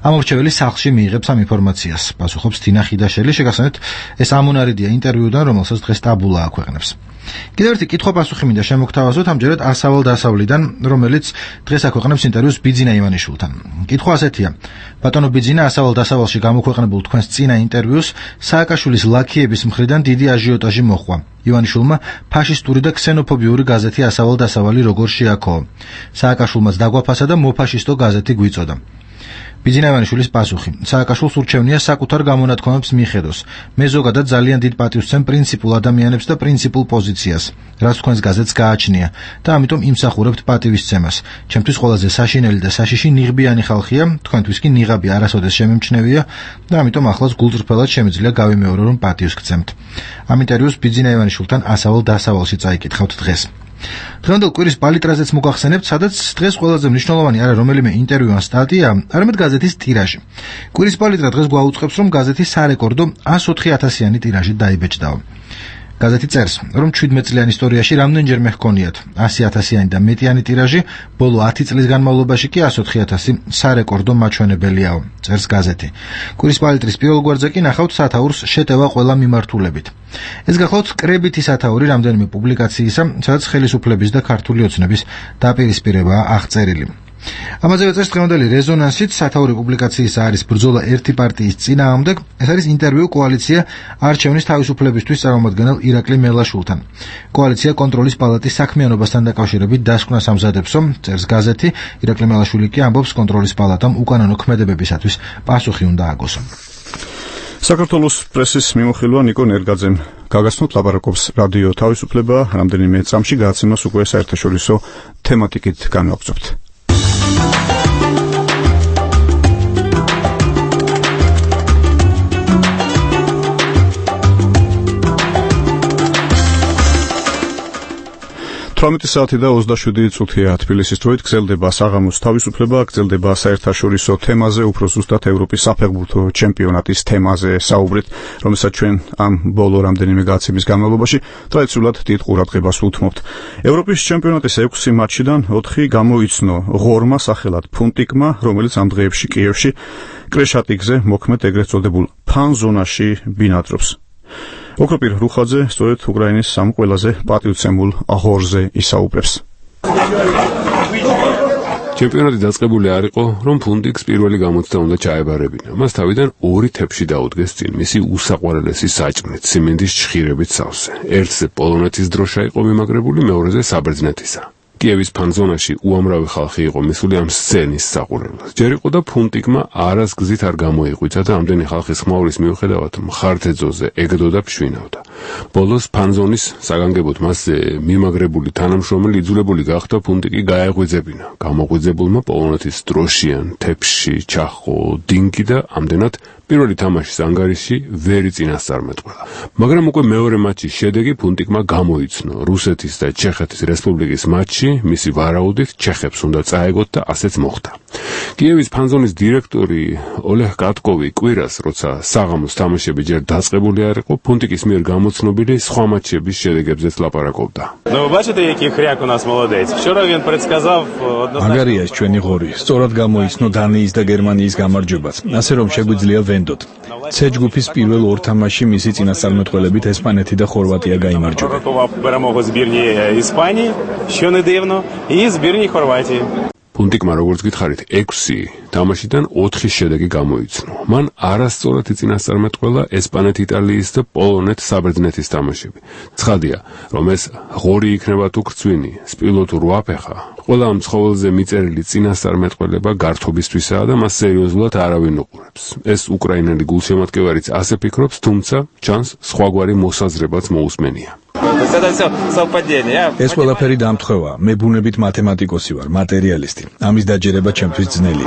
ამორჩეველი სახლში მიიღებს ამ ინფორმაციას. პასუხობს თინა ხიდაშელი, შეგახსენებთ, ეს ამონარიდია ინტერვიუდან, რომელსაც დღეს ტაბულა აქვეყნებს. კიდევ ერთი კითხვა-პასუხი მინდა შემოგთავაზოთ ამჯერად ასავალ დასავლიდან, რომელიც დღეს აქვეყნებს ინტერვიუს ბიძინა ივანიშვილთან. კითხვა ასეთია: ბატონო ბიძინა, ასავალ დასავალში გამოქვეყნებულ თქვენს წინა ინტერვიუს სააკაშვილის ლაქიების მხრიდან დიდი აჟიოტაჟი მოჰყვა. ივანიშვილმა ფაშისტური და ქსენოფობიური გაზეთი ასავალ დასავალი როგორ შეაქოო. სააკაშვილმაც დაგვაფასა და მოფაშისტო გაზეთი გვიწოდა. ბიძინა ივანიშვილის პასუხი: სააკაშვილს ურჩევნია საკუთარ გამონათქვამებს მიხედოს. მე ზოგადად ძალიან დიდ პატივს ვცემ პრინციპულ ადამიანებს და პრინციპულ პოზიციას, რაც თქვენს გაზეთს გააჩნია და ამიტომ იმსახურებთ პატივისცემას. ჩემთვის ყველაზე საშინელი და საშიში ნიღბიანი ხალხია, თქვენთვის კი ნიღაბი არასოდეს შემემჩნევია და ამიტომ ახლაც გულწრფელად შემიძლია გავიმეორო, რომ პატივს გცემთ. ამ ინტერვიუს ბიძინა ივანიშვილთან ასავალ დასავალში წაიკითხავთ დღეს. დღევანდელ კვირის პალიტრაზეც მოგახსენებთ, სადაც დღეს ყველაზე მნიშვნელოვანი არა რომელიმე ინტერვიუ ან სტატია, არამედ გაზეთის ტირაჟი. კვირის პალიტრა დღეს გვაუწყებს, რომ გაზეთი სარეკორდო ას ოთხი ათასიანი ტირაჟით დაიბეჭდაო. გაზეთი წერს, რომ ჩვიდმეტ წლიან ისტორიაში რამდენჯერმე ჰქონიათ ასი ათასიანი და მეტიანი ტირაჟი, ბოლო ათი წლის განმავლობაში კი ას ოთხი ათასი სარეკორდო მაჩვენებელიაო, წერს გაზეთი. კვირის პალიტრის პირველ გვერდზე კი ნახავთ სათაურს შეტევა ყველა მიმართულებით. ეს გახლავთ კრებითი სათაური რამდენიმე პუბლიკაციისა, სადაც ხელისუფლების და ქართული ოცნების დაპირისპირებაა აღწერილი. ამაზე წერს დღევანდელი რეზონანსით, სათაური პუბლიკაციისა არის ბრძოლა ერთი პარტიის წინააღმდეგ. ეს არის ინტერვიუ კოალიცია არჩევნის თავისუფლებისთვის წარმომადგენელ ირაკლი მელაშვილთან. კოალიცია კონტროლის პალატის საქმიანობასთან დაკავშირებით დასკვნას ამზადებს, წერს გაზეთი. ირაკლი მელაშვილი კი ამბობს, კონტროლის პალატამ უკანონო ქმედებებისათვის პასუხი უნდა აგოსო. საქართველოს პრესის მიმოხილვა ნიკო ნერგაძემ გაგაცნოთ, ლაპარაკობს რადიო თავისუფლება, რამდენიმე წამში გააცემას უკვე საერთაშორისო თემატიკით განვაგრძობთ. თვრამეტი საათი და ოცდაშვიდი წუთია თბილისის დროით გრძელდება საღამოს თავისუფლება, გრძელდება საერთაშორისო თემაზე, უფრო ზუსტად ევროპის საფეხბურთო ჩემპიონატის თემაზე საუბრით, რომელსაც ჩვენ ამ ბოლო რამდენიმე გააცემის განმავლობაში ტრადიციულად დიდ ყურადღებას უთმობთ. ევროპის ჩემპიონატის ექვსი მატჩიდან ოთხი გამოიცნო ღორმა სახელად ფუნტიკმა, რომელიც ამ დღეებში კიევში კრეშატიკზე მოქმედ ეგრეთ წოდებულ ფანზონაში ბინადრობს. ოქროპირ რუხაძე სწორედ უკრაინის სამ ყველაზე პატივცემულ ღორზე ისაუბრებს. ჩემპიონატი დაწყებული არ იყო, რომ ფუნტიკს პირველი გამოცდა უნდა ჩაებარებინა. მას თავიდან ორი თეფში დაუდგეს წინ მისი უსაყვარლესი საჭმლით, სიმინდის ჩხირებით სავსე. ერთზე პოლონეთის დროშა იყო მიმაგრებული, მეორეზე საბერძნეთისა. კიევის ფანზონაში უამრავი ხალხი იყო მისული ამ სცენის საყურებლად. ჯერ იყო და ფუნტიკმა არას გზით არ გამოიღვიცა და ამდენი ხალხის ხმაურის მიუხედავად მხარდეძოზე ეგდო და ფშვინავდა. ბოლოს ფანზონის საგანგებოდ მასზე მიმაგრებული თანამშრომელი იძულებული გახდა ფუნტიკი გაეღვიძებინა. გამოღვიძებულმა პოლონეთის დროშიან თეფში ჩახო დინგი და ამდენად პირველი თამაშის ანგარიში ვერი წინასწარმეტყველა. მაგრამ უკვე მეორე მატჩის შედეგი ფუნტიკმა გამოიცნო. რუსეთის და ჩეხეთის რესპუბლიკის მატჩი მისი ვარაუდით ჩეხებს უნდა წაეგოთ და ასეც მოხდა. კიევის ფანზონის დირექტორი ოლეღ კატკოვი კვირას, როცა საღამოს თამაშები ჯერ დაწყებული არ იყო, ფუნტიკის მიერ გამოცნობილი სხვა მატჩების შედეგებზეც ლაპარაკობდა. მაგარია ეს ჩვენი ღორი. სწორად გამოიცნო დანიის და გერმანიის გამარჯვებაც. ასე რომ შეგვიძლია ვენდოთ. C ჯგუფის პირველ ორ თამაშში მისი წინასწარმეტყველებით ესპანეთი და ხორვატია გაიმარჯვებენ. პუნტიკმა როგორც გითხარით, ექვსი თამაშიდან ოთხის შედეგი გამოიცნო. მან არასწორად იწინასწარმეტყველა ესპანეთ, იტალიის და პოლონეთ საბერძნეთის თამაშები. ცხადია, რომ ეს ღორი იქნება თუ გრძვინი, სპილო თუ რვაფეხა, ყველა ამ ცხოველზე მიწერილი წინასწარმეტყველება გართობისთვისაა და მას სერიოზულად არავინ უყურებს. ეს უკრაინელი გულშემატკივარიც ასე ფიქრობს, თუმცა ჩანს სხვაგვარი მოსაზრებაც მოусმენია. ეს ყველაფერი დამთხოვა. მე ბუნებით მათემატიკოსი ვარ, მატერიალისტი. ამის დაჯერება ჩემთვის ძნელია.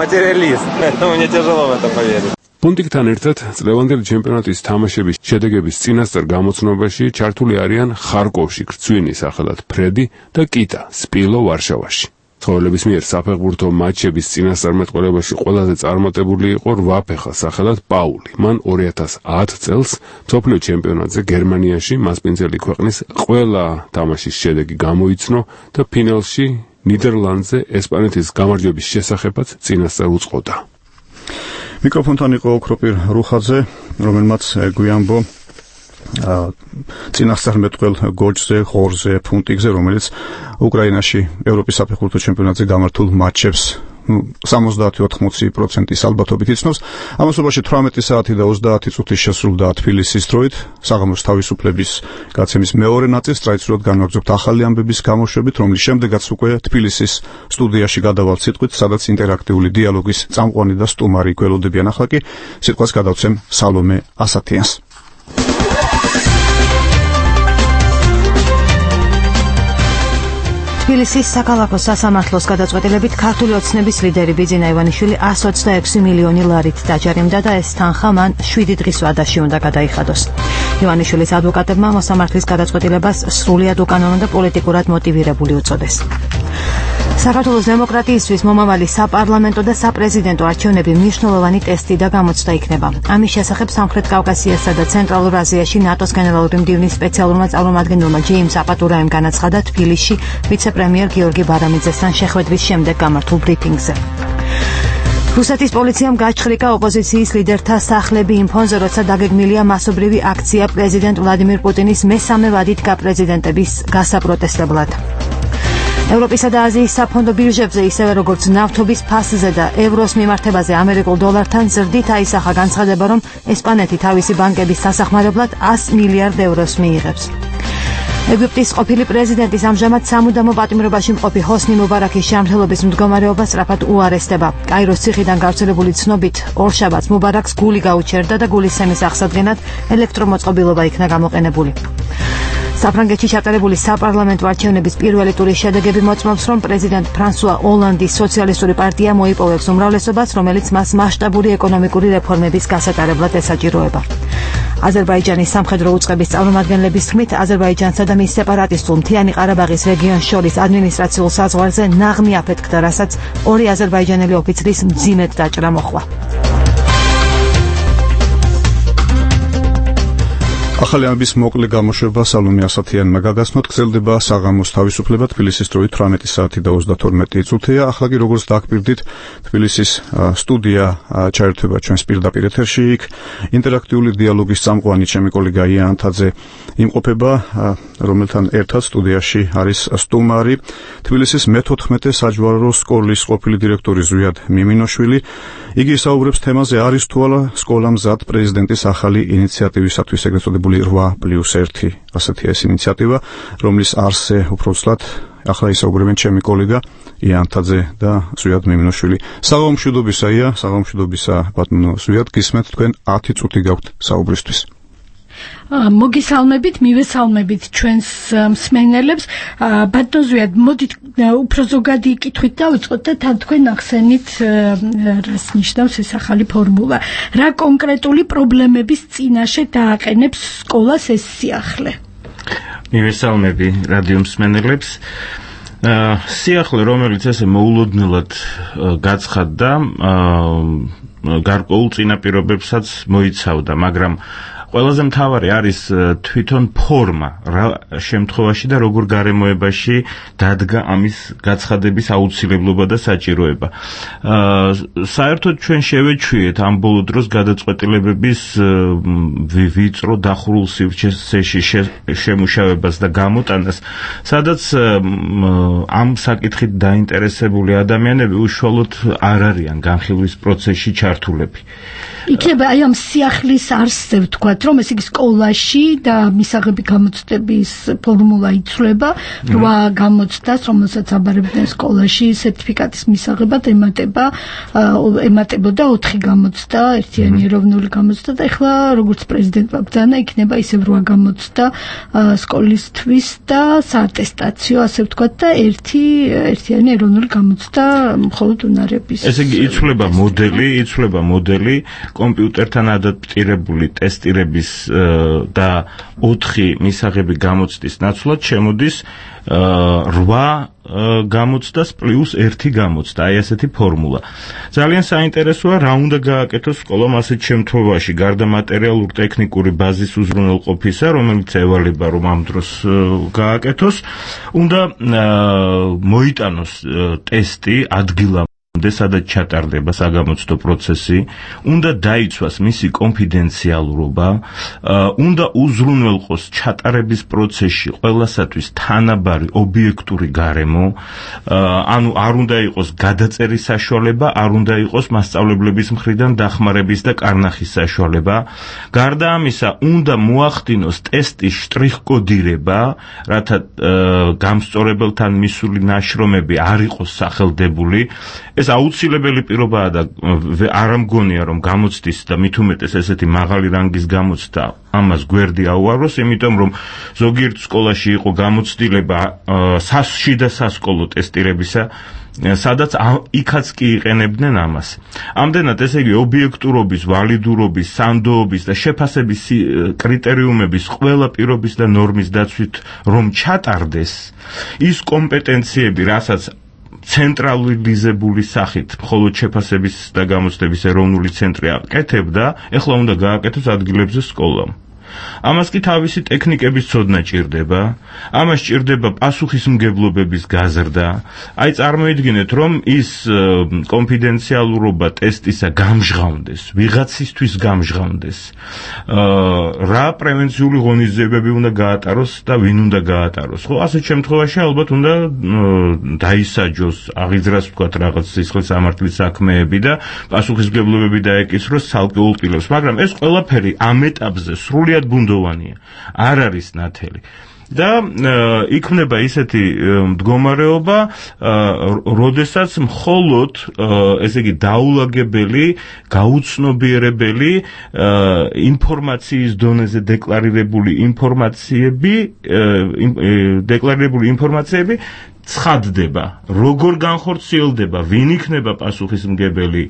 პუნტიკთან ერთად წლევანდელი ჩემპიონატის თამაშების შედეგების წინასწარ გამოცნობაში ჩართული არიან ხარკოვში გრძვინი სახელად ფრედი და კიტა სპილო ვარშავაში. ცხოველების მიერ საფეხბურთო მატჩების წინასწარმეტყველებაში ყველაზე წარმატებული იყო რვაფეხა სახელად პაული. მან ორი ათას ათი წელს მსოფლიო ჩემპიონატზე გერმანიაში მასპინძელი ქვეყნის ყველა თამაშის შედეგი გამოიცნო და ფინალში ნიდერლანდზე ესპანეთის გამარჯვების შესახებაც წინასწარ უწყობდა. მიკროფონთან იყო ოქროპირ რუხაძე, რომელმაც გვიამბო წინასწარმეტყველ გოჯზე, ხორზე, ფუნტიკზე, რომელიც უკრაინაში ევროპის საფეხბურთო ჩემპიონატზე გამართულ მატჩებს სამოცდაათი ოთხმოცი პროცენტის ალბათობით იცნობს. ამასობაში თვრამეტი საათი და ოცდაათი წუთი შესრულდა თბილისის დროით. საღამოს თავისუფლების გაცემის მეორე ნაწილს ტრადიციულად განვაგრძობთ ახალი ამბების გამოშვებით, რომლის შემდეგაც უკვე თბილისის სტუდიაში გადავალთ სიტყვით, სადაც ინტერაქტიული დიალოგის წამყვანი და სტუმარი გველოდებიან. ახლა კი სიტყვას გადავცემ სალომე ასათიანს. თბილისის საქალაქო სასამართლოს გადაწყვეტილებით ქართული ოცნების ლიდერი ბიძინა ივანიშვილი εκατს ოცდაექვსი მილიონი ლარით დაჯარიმდა და ეს თანხა მან შვიდი დღის ვადაში უნდა გადაიხადოს. ივანიშვილის ადვოკატებმა მოსამართლის გადაწყვეტილებას სრულიად უკანონო და პოლიტიკურად მოტივირებული უწოდეს. საქართველოს დემოკრატიისთვის მომავალი საპარლამენტო და საპრეზიდენტო არჩევნები მნიშვნელოვანი ტესტი და გამოცდა იქნება. ამის შესახებ სამხრეთ კავკასიასა და ცენტრალურ აზიაში ნატოს გენერალური მდივნის სპეციალურმა წარმომადგენელმა ჯეიმს აპატურაემ განაცხადა თბილისში ვიცე-პრემიერ გიორგი ბარამიძესთან შეხვედრის შემდეგ გამართულ ბრიფინგზე. რუსეთის პოლიციამ გაჩხრიკა ოპოზიციის ლიდერთა სახლები იმ ფონზე, როცა დაგეგმილია მასობრივი აქცია პრეზიდენტ ვლადიმირ პუტინის მესამე ვადით გაპრეზიდენტების გასაპროტესტებლად. ევროპისა და აზიის საფონდო ბირჟებზე, ისევე როგორც ნავთობის ფასზე და ევროს მიმართებაზე ამერიკულ დოლართან ზრდით აისახა განცხადება, რომ ესპანეთი თავისი ბანკების სასახმარებლად ას მილიარდ ევროს მიიღებს. ეგვიპტის ყოფილი პრეზიდენტის ამჟამად სამუდამო პატიმრობაში მყოფი ჰოსნი მუბარაქის ჯანმრთელობის მდგომარეობა სწრაფად უარესდება. კაიროს ციხიდან გავრცელებული ცნობით, ორშაბათს მუბარაქს გული გაუჩერდა და გულისცემის აღსადგენად ელექტრომოწყობილობა იქნა გამოყენებული. საფრანგეთში ჩატარებული საპარლამენტო არჩევნების პირველი ტურის შედეგები მოწმობს, რომ პრეზიდენტ ფრანსუა ოლანდის სოციალისტური პარტია მოიპოვებს უმრავლესობას, რომელიც მას მასშტაბური ეკონომიკური რეფორმების გასატარებლად ესაჭიროება. აზერბაიჯანის სამხედრო უწყების წარმომადგენლების თქმით, აზერბაიჯანსა და მის სეპარატისტულ მთიანი ყარაბაღის რეგიონს შორის ადმინისტრაციულ საზღვარზე ნაღმი აფეთქდა, რასაც ორი აზერბაიჯანელი ოფიცრის მძიმედ დაჭრა მოჰყვა. ახალი ამბის მოკლე გამოშვება სალომე ასათიანმა გაგაცნოთ. გრძელდება საღამოს თავისუფლება თბილისის დროით თვრამეტი საათი და ოცდათორმეტი წუთია. ახლა კი როგორც დაგპირდით, თბილისის სტუდია ჩაერთვება ჩვენს პირდაპირ ეთერში. იქ ინტერაქტიული დიალოგის წამყვანი ჩემი კოლეგა ია ანთაძე იმყოფება, რომელთან ერთად სტუდიაში არის სტუმარი თბილისის მეთოთხმეტე საჯვარო სკოლის ყოფილი დირექტორი ზვიად მიმინოშვილი. იგი ისაუბრებს თემაზე, არის თუ არა სკოლა მზად პრეზიდენტის ახალი ინიციატივისათვის, ეგრეთ წოდებული რვა პლუს ერთი, ასეთი ეს ინიციატივა, რომლის არსზე უბრალოდ ახლა ისაუბრებენ ჩემი კოლეგა ია ანთაძე და ზვიად მიმინოშვილი. საღამომშვიდობისა ია, საღამომშვიდობისა ბატონო ზვიად, გისმენთ თქვენ ათი წუთი გაქვთ საუბრისთვის. მოგესალმებით, მივესალმებით ჩვენს მსმენელებს. ბატონ ზვიად, მოდით უფრო ზოგადი კითხვით დავიწყოთ და თან თქვენ ახსენით, რას ნიშნავს ეს ახალი ფორმულა. რა კონკრეტული პრობლემების წინაშე დააყენებს სკოლას ეს სიახლე? მივესალმები რადიო მსმენელებს. სიახლე, რომელიც ესე მოულოდნელად გაცხადდა, გარკვეულ წინაპირობებსაც მოიცავდა, მაგრამ ყველაზე მთავარი არის თვითონ ფორმა რა შემთხვევაში და როგორ გარემოებაში დადგა ამის გაცხადების აუცილებლობა და საჭიროება. საერთოდ ჩვენ შევეჩვიეთ ამ ბოლო დროს გადაწყვეტილებების ვიწრო დახურულ სივრცეში შემუშავებას და გამოტანას, სადაც ამ საკითხით დაინტერესებული ადამიანები უშუალოდ არ არიან განხილვის პროცესში ჩართულები. იქნება აი ამ სიახლის არსზე ვთქვათ, რომ ეს იგი სკოლაში და მისაღები გამოცდების ფორმულა იცვლება, რვა გამოცდას, რომელსაც აბარებდნენ სკოლაში სერტიფიკატის მისაღებად ემატება, ემატებოდა ოთხი გამოცდა, ერთიანი ეროვნული გამოცდა და ეხლა როგორც პრეზიდენტმა ბრძანა, იქნება ისევ რვა გამოცდა სკოლისთვის და საატესტაციო, ასე ვთქვათ და ერთი ერთიანი ეროვნული გამოცდა მხოლოდ უნარების. ესე იგი იცვლება მოდელი, იცვლება მოდელი კომპიუტერთან ადაპტირებული ტესტირების და ოთხი მისაღები გამოცდის ნაცვლად შემოდის რვა გამოცდას პლუს ერთი გამოცდა, აი ესეთი ფორმულა. ძალიან საინტერესოა რა უნდა გააკეთოს სკოლამ ასეთ შემთხვევაში, გარდა მატერიალურ ტექნიკური ბაზის უზრუნველყოფისა, რომელიც ევალება რომ ამ დროს გააკეთოს, უნდა მოიტანოს ტესტი ადგილამ სადაც ჩატარდება საგამოცდო პროცესი, უნდა დაიცვას მისი კონფიდენციალურობა, უნდა უზრუნველყოს ჩატარების პროცესში ყველასათვის თანაბარი ობიექტური გარემო, ანუ არ უნდა იყოს გადაწერის საშუალება, არ უნდა იყოს მასწავლებლების მხრიდან დახმარების და კარნახის საშუალება. გარდა ამისა, უნდა მოახდინოს ტესტის შტრიხკოდირება, რათა გამსწორებელთან მისული ნაშრომები არ იყოს სახელდებული. ეს აუცილებელი პირობაა და არ ამგონია რომ გამოცდის და მით უმეტეს ესეთი მაღალი რანგის გამოცდა ამას გვერდი აუაროს, იმიტომ რომ ზოგიერთ სკოლაში იყო გამოცდილება სასში და სასკოლო ტესტირებისა, სადაც იქაც კი იყენებდნენ ამას. ამდენად ესე იგი ობიექტურობის, ვალიდურობის, სანდოობის და შეფასების კრიტერიუმების ყველა პირობის და ნორმის დაცვით რომ ჩატარდეს, ის კომპეტენციები, რასაც ცენტრალიზებული სახით მხოლოდ შეფასების და გამოცდების ეროვნული ცენტრი აკეთებდა, ეხლა უნდა გააკეთოს ადგილებზე სკოლამ. ამას კი თავისი ტექნიკების ცოდნა ჭირდება, ამას ჭირდება პასუხისმგებლობების გაზრდა. აი წარმოიდგინეთ, რომ ის კონფიდენციალურობა ტესტისა გამჟღავნდეს, ვიღაცისთვის გამჟღავნდეს. რა პრევენციული ღონისძიებები უნდა გაატაროს და ვინ უნდა გაატაროს. ხო, ასეთ შემთხვევაში ალბათ უნდა დაისაჯოს, აღიძრას ვთქვათ რაღაც სისხლის სამართლის საქმეები და პასუხისმგებლობები დაეკისროს ცალკეულ პირებს, მაგრამ ეს ყველაფერი ამ ეტაპზე სრულიად ბუნდოვანია, არ არის ნათელი. და იქმნება ისეთი მდგომარეობა, როდესაც მხოლოდ ესე იგი დაულაგებელი, გაუცნობიერებელი ინფორმაციის დონეზე დეკლარირებული ინფორმაციები, დეკლარირებული ინფორმაციები ცხადდება, როგორ განხორციელდება, ვინ იქნება პასუხისმგებელი,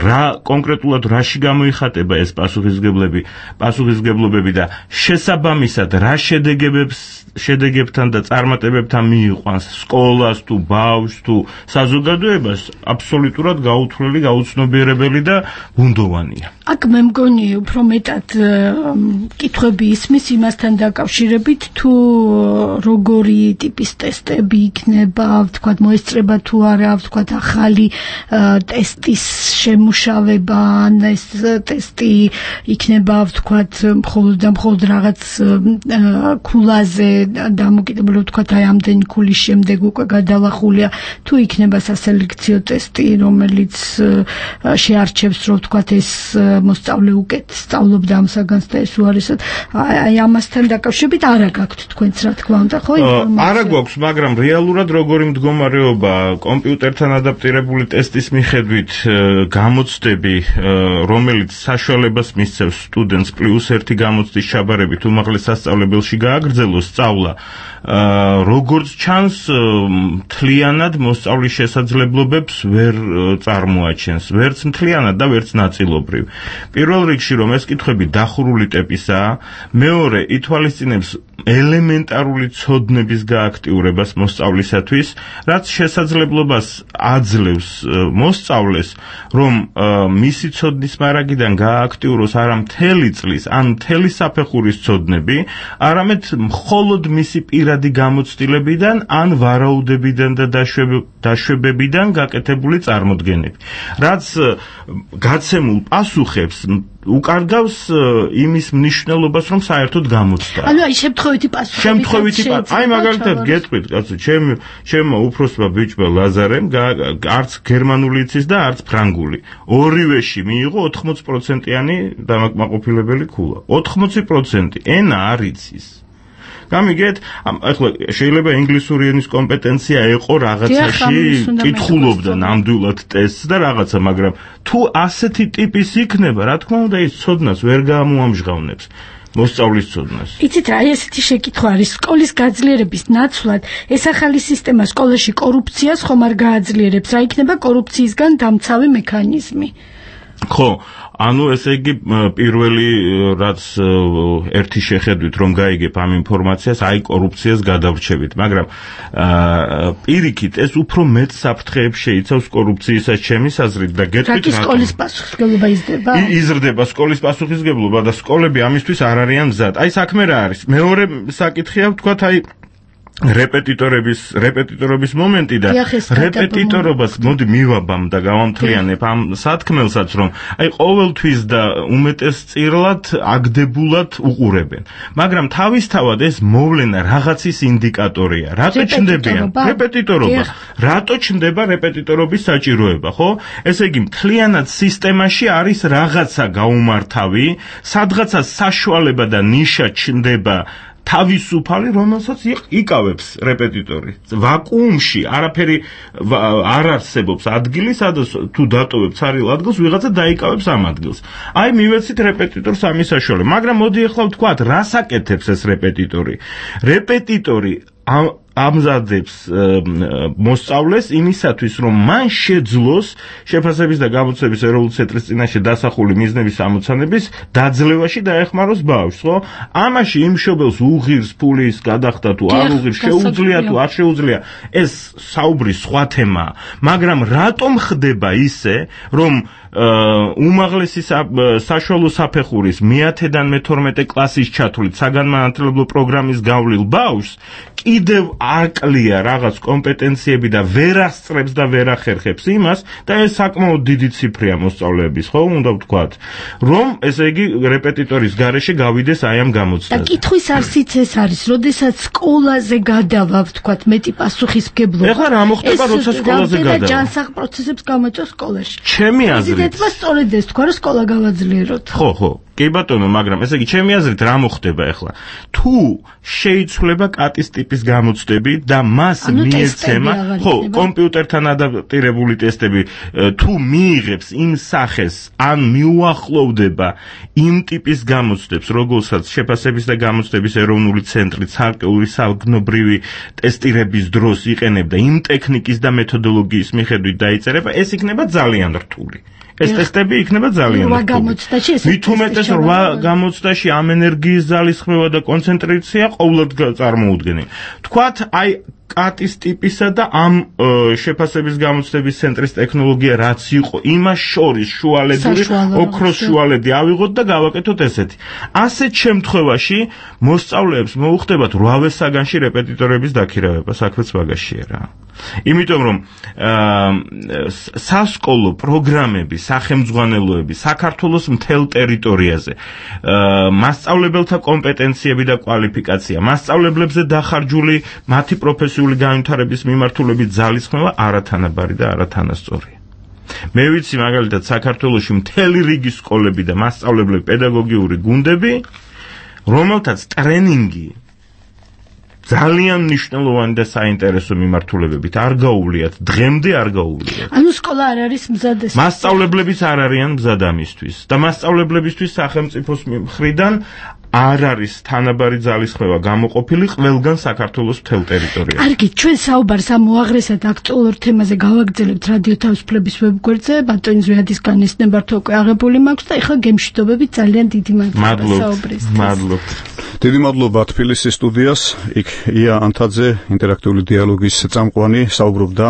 რა კონკრეტულად რაში გამოიხატება ეს პასუხისმგებლები, პასუხისმგებლობები და შესაბამისად რა შედეგებს შედეგებთან და წარმატებებთან მიიყვანს სკოლას თუ ბავშვს თუ საზოგადოებას, აბსოლუტურად გაუთვლელი, გაუცნობიერებელი და ბუნდოვანია. აქ მე მგონი უფრო მეტად კითხვები ისმის იმასთან დაკავშირებით, თუ როგორი ტიპის ტესტები იქნება, ვთქვათ, მოესწრება თუ არა, ვთქვათ, ახალი ტესტის შემუშავება, ან ეს ტესტი იქნება, ვთქვათ, მხოლოდ და მხოლოდ რაღაც ქულაზე დამოკიდებული, ვთქვათ, აი ამდენი ქულის შემდეგ უკვე გადალახულია, თუ იქნება სასელექციო ტესტი, რომელიც შეარჩევს, რომ ვთქვათ, ეს მოსწავლე უკეთ სწავლობდა ამ საგანს და ეს უარესად, აი ამასთან დაკავშირებით არა გაქვთ თქვენც რა თქმა უნდა, ხო? არა გვაქვს, მაგრამ რეალურად როგორი მდგომარეობა კომპიუტერთან ადაპტირებული ტესტის მიხედვით გამოცდები, რომელიც საშუალებას მისცემს სტუდენტს პლუს ერთი გამოცდის ჩაბარებით უმაღლეს სასწავლებელში გააგრძელოს სწავლა, როგორც ჩანს, მთლიანად მოსწავლის შესაძლებლობებს ვერ წარმოაჩენს, ვერც მთლიანად და ვერც ნაწილობრივ. პირველ რიგში, რომ ეს კითხვები დახურული ტიპისაა, მეორე ითვალისწინებს ელემენტარული ცოდნების გააქტიურებას მოსწავლეთა მოსწავლისათვის, რაც შესაძლებლობას აძლევს მოსწავლეს, რომ მისი ცოდნის მარაგიდან გაააქტიუროს არა მთელი წლის, ან მთელი საფეხურის ცოდნები, არამედ მხოლოდ მისი პირადი გამოცდილებიდან, ან ვარაუდებიდან და დაშვებებიდან გაკეთებული წარმოდგენები. რაც გაცემულ პასუხებს უკარგავს იმის მნიშვნელობას, რომ საერთოდ გამოცდა. ანუ აი შემთხვევითი პასუხები. შემთხვევითი პასუხი. აი მაგალითად გეტყვით, კაცო, ჩემ ჩემმა უფროსმა ბიჭმა ლაზარემ არც გერმანული იცის და არც ფრანგული. ორივეში მიიღო ოთხმოცი პროცენტიანი დამაკმაყოფილებელი ქულა. ოთხმოცი პროცენტი ენა არ იცის. გამიგეთ, ახლა შეიძლება ინგლისური ენის კომპეტენცია ეყო რაღაცაში, კითხულობდა ნამდვილად ტესტს და რაღაცა, მაგრამ თუ ასეთი ტიპის იქნება, რა თქმა უნდა, ის ცოდნას ვერ გამოამჟღავნებს. მოსწავლის ცოდნას. იცით რა, ესეთი შეკითხვა არის სკოლის გაძლიერების ნაცვლად, ეს ახალი სისტემა სკოლაში კორუფციას ხომ არ გააძლიერებს, რა იქნება კორუფციისგან დამცავი მექანიზმი? ხო, ანუ ესე იგი პირველი რაც ერთი შეხედვით რომ გაიგებ ამ ინფორმაციას, აი კორუფციას გადავრჩებით, მაგრამ პირიქით ეს უფრო მეტ საფრთხეებს შეიცავს კორუფციისას ჩემის აზრით და გეტყვით რა სკოლის პასუხისმგებლობა იზრდება? იზრდება სკოლის პასუხისმგებლობა და სკოლები ამისთვის არ არიან მზად. აი საქმე რა არის? მეორე საკითხია ვთქვათ, აი რეპეტიტორების რეპეტიტორობის მომენტი და რეპეტიტორობას მოდი მივაბამ და გავამთლიანებ ამ სათქმელსაც, რომ აი ყოველთვის და უმეტესწილად აგდებულად უყურებენ, მაგრამ თავისთავად ეს მოვლენა რაღაცის ინდიკატორია. რატო ჩნდებიან რეპეტიტორობა? რატო ჩნდება რეპეტიტორობის საჭიროება, ხო? ესე იგი მთლიანად სისტემაში არის რაღაცა გაუმართავი, სადღაცა საშუალება და ნიშა ჩნდება თავისუფალი, რომელსაც იკავებს რეპეტიტორი. ვაკუუმში არაფერი არ არსებობს ადგილი, სადაც თუ დატოვებ ცარიელ ადგილს, ვიღაცა დაიკავებს ამ ადგილს. აი მივეცით რეპეტიტორს ამის საშუალება, მაგრამ მოდი ახლა ვთქვათ, რას აკეთებს ეს რეპეტიტორი? რეპეტიტორი ამზადებს მოსწავლეს იმისათვის, რომ მან შეძლოს შეფასების და გამოცდების ეროვნული ცენტრის წინაშე დასახული მიზნების ამოცანების დაძლევაში დაეხმაროს ბავშვს, ხო? ამაში იმ მშობელს უღირს ფულის გადახდა თუ არ უღირს, შეუძლია თუ არ შეუძლია, ეს საუბრის სხვა თემაა, მაგრამ რატომ ხდება ისე, რომ უმაღლესი საშუალო საფეხურის მეათედან მეთორმეტე კლასის ჩათვლით საგანმანათლებლო პროგრამის გავლილ ბავშვს კიდევ აკლია რაღაც კომპეტენციები და ვერ ასწრებს და ვერ ახერხებს იმას და ეს საკმაოდ დიდი ციფრია მოსწავლეების, ხო, უნდა ვთქვათ, რომ ესე იგი რეპეტიტორის გარეშე გავიდეს აი ამ გამოცდაზე. და კითხვის არსიც ეს არის, როდესაც სკოლაზე გადავა, ვთქვათ, მეტი პასუხისმგებლობა. ეხლა რა მოხდება, როცა სკოლაზე გადავა? და ჯანსაღ პროცესებს გამოწვევს სკოლაში. ჩემი აზრით ეთმა სწორედ ეს თქვა, რომ სკოლა გავაძლიეროთ. ხო, ხო. კი ბატონო, მაგრამ ესე იგი ჩემი აზრით რა მოხდება ახლა? თუ შეიცვლება კატის ტიპის გამოცდები და მას მიეცემა, ხო, კომპიუტერთან ადაპტირებული ტესტები, თუ მიიღებს იმ სახეს, ან მიუახლოვდება იმ ტიპის გამოცდებს, როგორცაც შეფასების და გამოცდების ეროვნული ცენტრი ცალკეული საგნობრივი ტესტირების დროს იყენებდა იმ ტექნიკის და მეთოდოლოგიის მიხედვით დაიწერება, ეს იქნება ძალიან რთული. ეს ტესტები იქნება ძალიან რთული. მით უმეტეს რვა გამოცდაში ამ ენერგიის ძალისხმევა და კონცენტრაცია ყოველდღე წარმოუდგენელი. თქვათ, აი კატის ტიპისა და ამ შეფასების გამოცდების ცენტრის ტექნოლოგია რაც იყო, იმას შორის შუალედური ოქროს შუალედი ავიღოთ და გავაკეთოთ ესეთი. ასეთ შემთხვევაში მოსწავლეებს მოუხდებათ რვავე საგანში რეპეტიტორების დაქირავება, საქმეც მაგაშია რა. იმიტომ რომ სასკოლო პროგრამები, სახელმძღვანელოები საქართველოს მთელ ტერიტორიაზე, მასწავლებელთა კომპეტენციები და კვალიფიკაცია, მასწავლებლებზე დახარჯული მათი პროფესიული განვითარების მიმართულებით ძალისხმევა არათანაბარი და არათანასწორია. მე ვიცი მაგალითად საქართველოში მთელი რიგი სკოლები და მასწავლებლები, პედაგოგიური გუნდები, რომელთაც ტრენინგი ძალიან მნიშვნელოვანი და საინტერესო მიმართულებებით არ გაუვლიათ, დღემდე არ გაუვლიათ. ანუ სკოლა არ არის მზად ეს. მასწავლებლებიც არ არიან მზად ამისთვის და მასწავლებლებისთვის სახელმწიფოს მხრიდან არ არის თანაბარი ძალისხმევა გამოყოფილი ყველგან საქართველოს მთელ ტერიტორიაზე. კარგი, ჩვენ საუბარს ამ უაღრესად აქტუალურ თემაზე გავაგრძელებთ რადიო თავისუფლების ვებგვერდზე, ბატონი ზვიადის განესნება რთო უკვე აღებული მაქვს და ეხლა გემშვიდობებით ძალიან დიდი მადლობა საუბრისთვის. მადლობთ. დიდი მადლობა თბილისის სტუდიას. იქ ია ანთაძე, ინტერაქტიული დიალოგის წამყვანი, საუბრობდა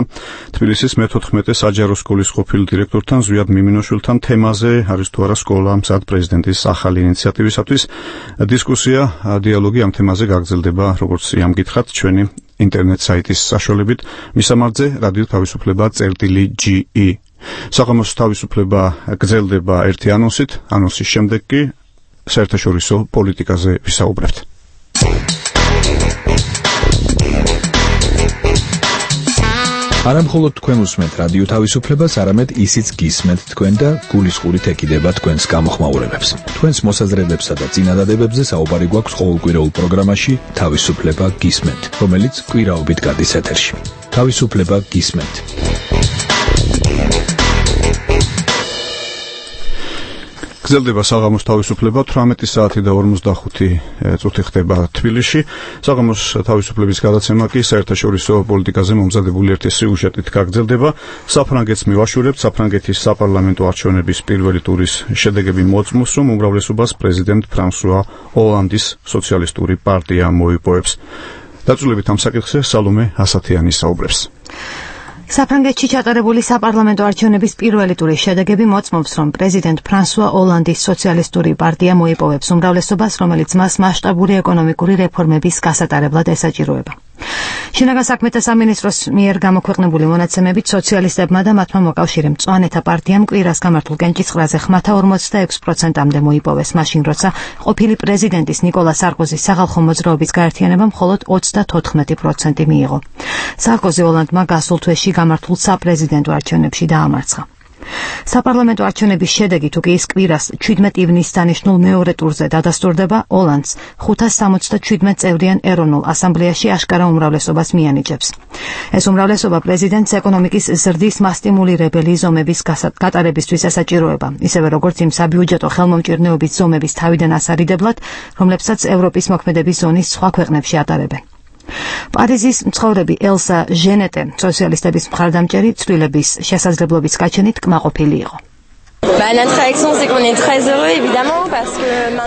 თბილისის მეთოთხმეტე საჯარო სკოლის ყოფილ დირექტორთან ზვიად მიმინოშვილთან თემაზე არის თუ არა სკოლა მზად პრეზიდენტის ახალი ინიციატივისათვის. დისკუსია, დიალოგი ამ თემაზე გაგრძელდება, როგორც იამ გითხრათ, ჩვენი ინტერნეტ საიტის საშუალებით, მისამართზე რადიო თავისუფლება წერტილი ჯი ი. საღამოს თავისუფლება გრძელდება ერთი ანონსით, ანონსის შემდეგ კი საერთაშორისო პოლიტიკაზე ვისაუბრებთ. არა მხოლოდ თქვენ უსმენთ რადიო თავისუფლებას, არამედ ისიც გისმენთ თქვენ და გულისყურით ეკიდება თქვენს გამოხმაურებებს. თქვენს მოსაზრებებსა და წინადადებებზე საუბარი გვაქვს ყოველკვირეულ პროგრამაში თავისუფლება გისმენთ, რომელიც კვირაობით გადის ეთერში. თავისუფლება გისმენთ. გრძელდება საღამოს თავისუფლება, თვრამეტი საათი და ორმოცდახუთი წუთი ხდება თბილისში. საღამოს თავისუფლების გადაცემა კი საერთაშორისო პოლიტიკაზე მომზადებული ერთი სიუჟეტით გაგრძელდება. საფრანგეთს მივაშურებთ, საფრანგეთის საპარლამენტო არჩევნების პირველი ტურის შედეგები მოწმობს, რომ უმრავლესობას პრეზიდენტ ფრანსუა ოლანდის სოციალისტური პარტია მოიპოვებს. დაწვრილებით ამ საკითხზე სალომე ასათიანი საუბრებს. საფრანგეთში ჩატარებული საპარლამენტო არჩევნების პირველი ტურის შედეგები მოწმობს, რომ პრეზიდენტ ფრანსუა ოლანდის სოციალისტური პარტია მოიპოვებს უმრავლესობას, რომელიც მას მასშტაბური ეკონომიკური რეფორმების გასატარებლად ესაჭიროება. შინაგან საქმეთა სამინისტროს მიერ გამოქვეყნებული მონაცემებით სოციალისტებმა და მათმა მოკავშირე მწვანეთა პარტიამ კვირას გამართულ კენჭისყრაზე ხმათა ორმოცდაექვსი პროცენტამდე მოიპოვეს, მაშინ როცა ყოფილი პრეზიდენტის ნიკოლა სარკოზის სახალხო მოძრაობის გაერთიანებამ მხოლოდ ოცდათოთხმეტი პროცენტი მიიღო. სარკოზი ოლანდმა გასულ თვეში გამართულ საპრეზიდენტო არჩევნებში დაამარცხა. საპარლამენტო არჩევნების შედეგი თუ კი ის კვირას ჩვიდმეტ ივნისს დანიშნულ მეორე ტურზე დადასტურდება, ოლანდს ხუთას სამოცდაშვიდმეტ წევრიან ეროვნულ ასამბლეაში აშკარა უმრავლესობას მიანიჭებს. ეს უმრავლესობა პრეზიდენტს ეკონომიკის ზრდის მასტიმულირებელი ზომების გატარებისთვის ესაჭიროება, ისევე როგორც იმ საბიუჯეტო ხელმომჭირნეობის ზომების თავიდან ასარიდებლად, რომლებსაც ევროპის მოქმედების ზონის სხვა ქვეყნებში ატარებენ. პარიზის მცხოვრები ელსა ჟენეტე სოციალისტების მხარდამჭერი ცვლილების შესაძლებლობის გაჩენით კმაყოფილი იყო.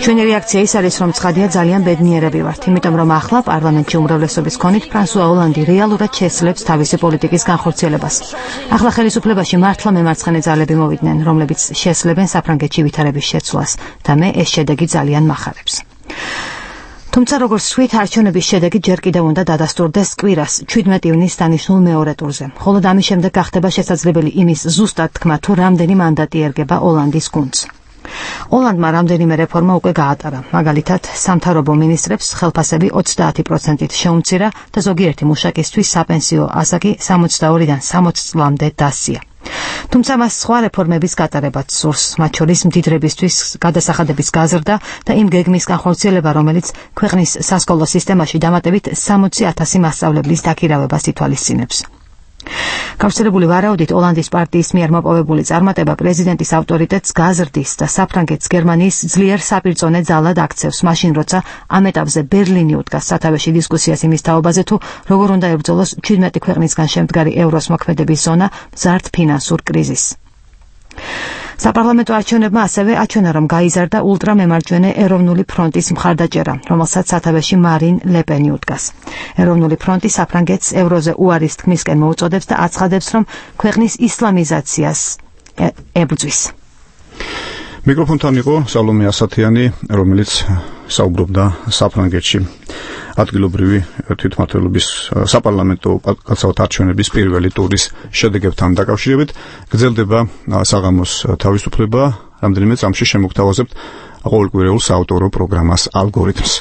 ჩვენი რეაქცია ის არის, რომ ცხადია ძალიან ბედნიერები ვართ, იმიტომ რომ ახლა პარლამენტში უმრავლესობის ქონით ფრანსუა ოლანდი რეალურად შესძლებს თავისი პოლიტიკის განხორციელებას. ახლა ხელისუფლებაში მართლა მემარცხენე ძალები მოვიდნენ, რომლებიც შესძლებენ საფრანგეთში ვითარების შეცვლას და მე ეს შედეგი ძალიან მახარებს. თუმცა როგორც ვთქვით, არჩევნების შედეგი ჯერ კიდევ უნდა დადასტურდეს კვირას ჩვიდმეტ ივნისს დანიშნულ მეორე ტურზე. მხოლოდ ამის შემდეგ გახდება შესაძლებელი იმის ზუსტად თქმა, თუ რამდენი მანდატი ერგება ოლანდის გუნდს. ოლანდმა რამდენიმე რეფორმა უკვე გაატარა. მაგალითად, სამთავრობო მინისტრებს ხელფასები ოცდაათი პროცენტით შეუმცირა და ზოგიერთი მუშაკისთვის საპენსიო ასაკი სამოცდაორიდან სამოცი წლამდე დასწია. თუმცა მას სხვა რეფორმების გატარებაც სურს, მათ შორის მდიდრებისთვის გადასახადების გაზრდა და იმ გეგმის განხორციელება, რომელიც ქვეყნის სასკოლო სისტემაში დამატებით სამოცი ათასი მასწავლებლის დაქირავებას ითვალისწინებს. გავრცელებული ვარაუდით, ოლანდის პარტიის მიერ მოპოვებული წარმატება პრეზიდენტის ავტორიტეტს გაზრდის და საფრანგეთს გერმანიის ძლიერ საპირწონე ძალად აქცევს, მაშინ როცა ამ ეტაპზე ბერლინი უდგას სათავეში დისკუსიას იმის თაობაზე, თუ როგორ უნდა ებრძოლოს ჩვიდმეტი ქვეყნისგან შემდგარი ევროს მოქმედების ზონა მზარდ ფინანსურ კრიზისს. საპარლამენტო არჩევნებმა ასევე აჩვენა, რომ გაიზარდა ულტრამემარჯვენე ეროვნული ფრონტის მხარდაჭერა, რომელსაც სათავეში მარინ ლეპენი უდგას. ეროვნული ფრონტი საფრანგეთს ევროზე უარის თქმისკენ მოუწოდებს და აცხადებს, რომ ქვეყნის ისლამიზაციას ებრძვის. მიკროფონთან იყო სალომე ასათიანი, რომელიც საუბრობდა საფრანგეთში ადგილობრივი თვითმმართველობის საპარლამენტო კაცალთა არჩევნების პირველი ტურის შედეგებთან დაკავშირებით. გრძელდება საღამოს თავისუფლება, რამდენიმე წამში შემოგთავაზებთ ყოველკვირეულ საავტორო პროგრამას ალგორითმს.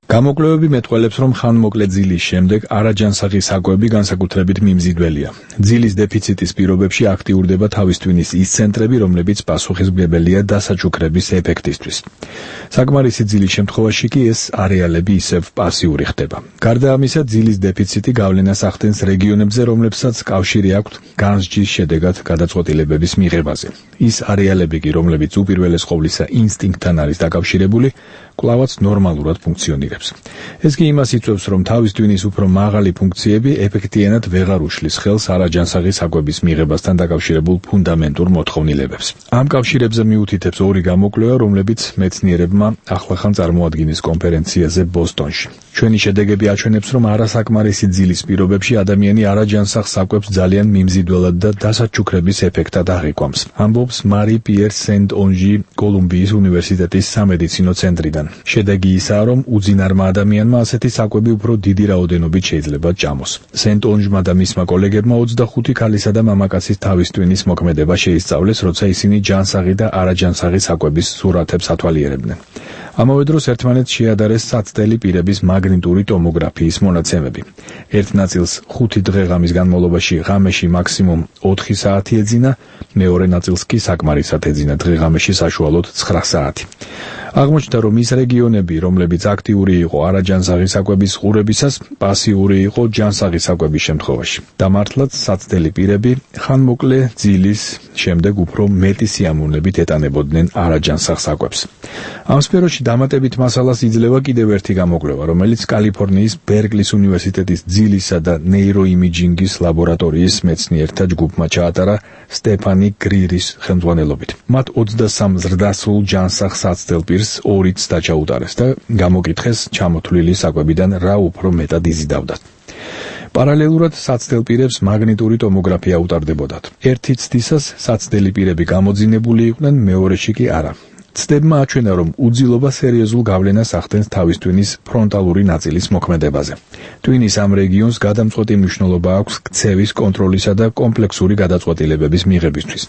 გამოკვლევები მეტყველებს, რომ ხანმოკლე ძილის შემდეგ არაჯანსაღი საკვები განსაკუთრებით მიმზიდველია. ძილის დეფიციტის პირობებში აქტიურდება თავის ტვინის ის ცენტრები, რომლებიც პასუხისმგებელია დასაჩუქრების ეფექტისთვის. საკმარისი ძილის შემთხვევაში კი ეს არეალები ისევ პასიური ხდება. გარდა ამისა, ძილის დეფიციტი გავლენას ახდენს რეგიონებზე, რომლებსაც კავშირი აქვთ განსჯის შედეგად გადაწყვეტილებების მიღებაზე. ის არეალები კი, რომლებიც უპირველეს ყოვლისა ინსტინქტთან არის დაკავშირებული, კვლავაც ნორმალურად ფუნქციონირებს. ეს კი იმას იწვევს, რომ თავის ტვინის უფრო მაღალი ფუნქციები ეფექტიანად ვეღარ უშლის ხელს არაჯანსაღი საკვების მიღებასთან დაკავშირებულ ფუნდამენტურ მოთხოვნილებებს. ამ კავშირებზე მიუთითებს ორი გამოკვლევა, რომლებიც მეცნიერებმა ახლახან წარმოადგინეს კონფერენციაზე ბოსტონში. ჩვენი შედეგები აჩვენებს, რომ არასაკმარისი ძილის პირობებში ადამიანი არაჯანსაღ საკვებს ძალიან მიმზიდველად და დასაჩუქრების ეფექტად აღიქვამს. ამბობს მარი პიერ სენტ-ონჟი კოლუმბიის უნივერსიტეტის სამედიცინო ცენტრიდან. შედეგი ისაა, რომ უძინარმა ადამიანმა ასეთი საკვები უფრო დიდი რაოდენობით შეიძლება ჭამოს. სენტ-ონჟმა და მისმა კოლეგებმა ოცდახუთი ქალისა და მამაკაცის თავის ტვინის მოქმედება შეისწავლეს, როცა ისინი ჯანსაღი და არაჯანსაღი საკვების სურათებს ათვალიერებდნენ. ამავე დროს ერთმანეთს შეადარეს საცდელი პირების მაგნიტური ტომოგრაფიის მონაცემები. ერთ ნაწილს ხუთი დღე-ღამის განმავლობაში ღამეში მაქსიმუმ ოთხი საათი ეძინა, მეორე ნაწილს კი საკმარისად ეძინა დღე-ღამეში საშუალოდ ცხრა საათი. აღმოჩნდა, რომ ის რეგიონები, რომლებიც აქტიური იყო არაჯანსაღი საკვების ყურებისას, პასიური იყო ჯანსაღი საკვების შემთხვევაში. და მართლაც საცდელი პირები ხანმოკლე ძილის შემდეგ უფრო მეტი სიამოვნებით ეტანებოდნენ არაჯანსაღ საკვებს. ამ სფეროში დამატებით მასალას იძლევა კიდევ ერთი გამოკვლევა, რომელიც კალიფორნიის ბერკლის უნივერსიტეტის ძილისა და ნეიროიმიჯინგის ლაბორატორიის მეცნიერთა ჯგუფმა ჩაატარა სტეფანი გრირის ხელმძღვანელობით. მათ ოცდასამ ზრდასრულ ჯანსაღ საცდელ პირს ორი ცდა ჩაუტარეს და გამოკითხეს ჩამოთვლილი საკვებიდან რა უფრო მეტად იზიდავდათ. პარალელურად საცდელ პირებს მაგნიტური ტომოგრაფია უტარდებოდათ. ერთი ცდისას საცდელი პირები გამოძინებული იყვნენ, მეორეში კი არა. ცდებმა აჩვენა, რომ უძილობა სერიოზულ გავლენას ახდენს თავის ტვინის ფრონტალური ნაწილის მოქმედებაზე. ტვინის ამ რეგიონს გადამწყვეტი მნიშვნელობა აქვს ქცევის კონტროლისა და კომპლექსური გადაწყვეტილებების მიღებისთვის,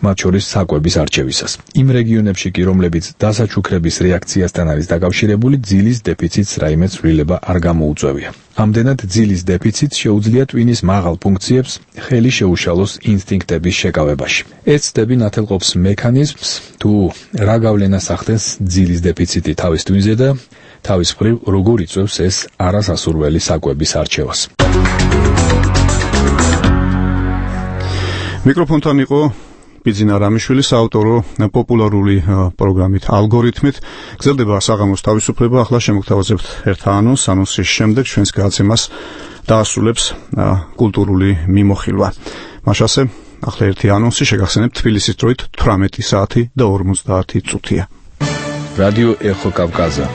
მათ შორის საკვების არჩევისას. იმ რეგიონებში კი, რომლებიც დასაჩუქრების რეაქციასთან არის დაკავშირებული, ძილის დეფიციტს რაიმე ცვლილება არ გამოუწვევია. ამდენად ძილის დეფიციტს შეუძლია ტვინის მაღალ ფუნქციებს ხელი შეუშალოს ინსტინქტების შეკავებაში. ეს ცდები ნათელყოფს მექანიზმს, თუ რა გავლენას ახდენს ძილის დეფიციტი თავის ტვინზე და თავის მხრივ როგორ იწვევს ეს არასასურველი საკვების არჩევას. მიკროფონთან იყო ბიძინა რამიშვილი, საავტორო პოპულარული პროგრამით ალგორითმით. გრძელდება საღამოს თავისუფლება. ახლა შემოგთავაზებთ ერთ ანონს. ანონსის შემდეგ ჩვენს გადაცემას დაასრულებს კულტურული მიმოხილვა. მაშასე ახლა ერთი ანონსი შეგახსენებთ. თბილისის დროით თვრამეტი საათი და ორმოცდაათი წუთია. რადიო ეხო კავკაზა.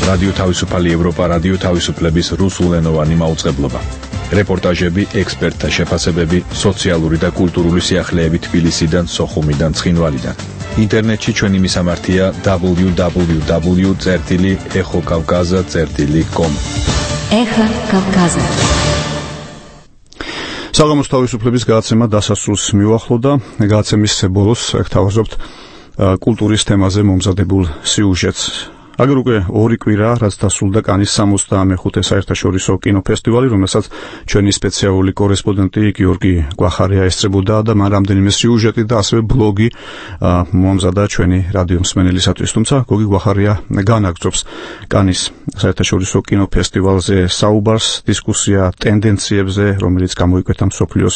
რადიო თავისუფალი ევროპა, რადიო თავისუფლების რუსულენოვანი მაუწყებლობა. რეპორტაჟები, ექსპერტთა შეფასებები, სოციალური და კულტურული სიახლეები თბილისიდან, სოხუმიდან, ცხინვალიდან. ინტერნეტში ჩვენი მისამართია დაბლიუ დაბლიუ დაბლიუ წერტილი ეხო კავკაზა წერტილი კომ. ეხო კავკაზა. საღამოს თავისუფლების გადაცემა დასასრულს მიუახლოვდა. გადაცემის ბოლოს გთავაზობთ კულტურის თემაზე მომზადებულ სიუჟეტს. აგერ უკვე ორი კვირა, რაც დასრულდა კანის სამოცდამეხუთე საერთაშორისო კინოფესტივალი, რომელსაც ჩვენი სპეციალური კორესპონდენტი გიორგი გვახარია ესწრებოდა და მან რამდენიმე სიუჟეტი და ასევე ბლოგი მომზადა ჩვენი რადიო მსმენელისათვის. თუმცა გოგი გვახარია განაგრძობს კანის საერთაშორისო კინოფესტივალზე საუბარს, დისკუსია ტენდენციებზე, რომელიც გამოიკვეთა მსოფლიოს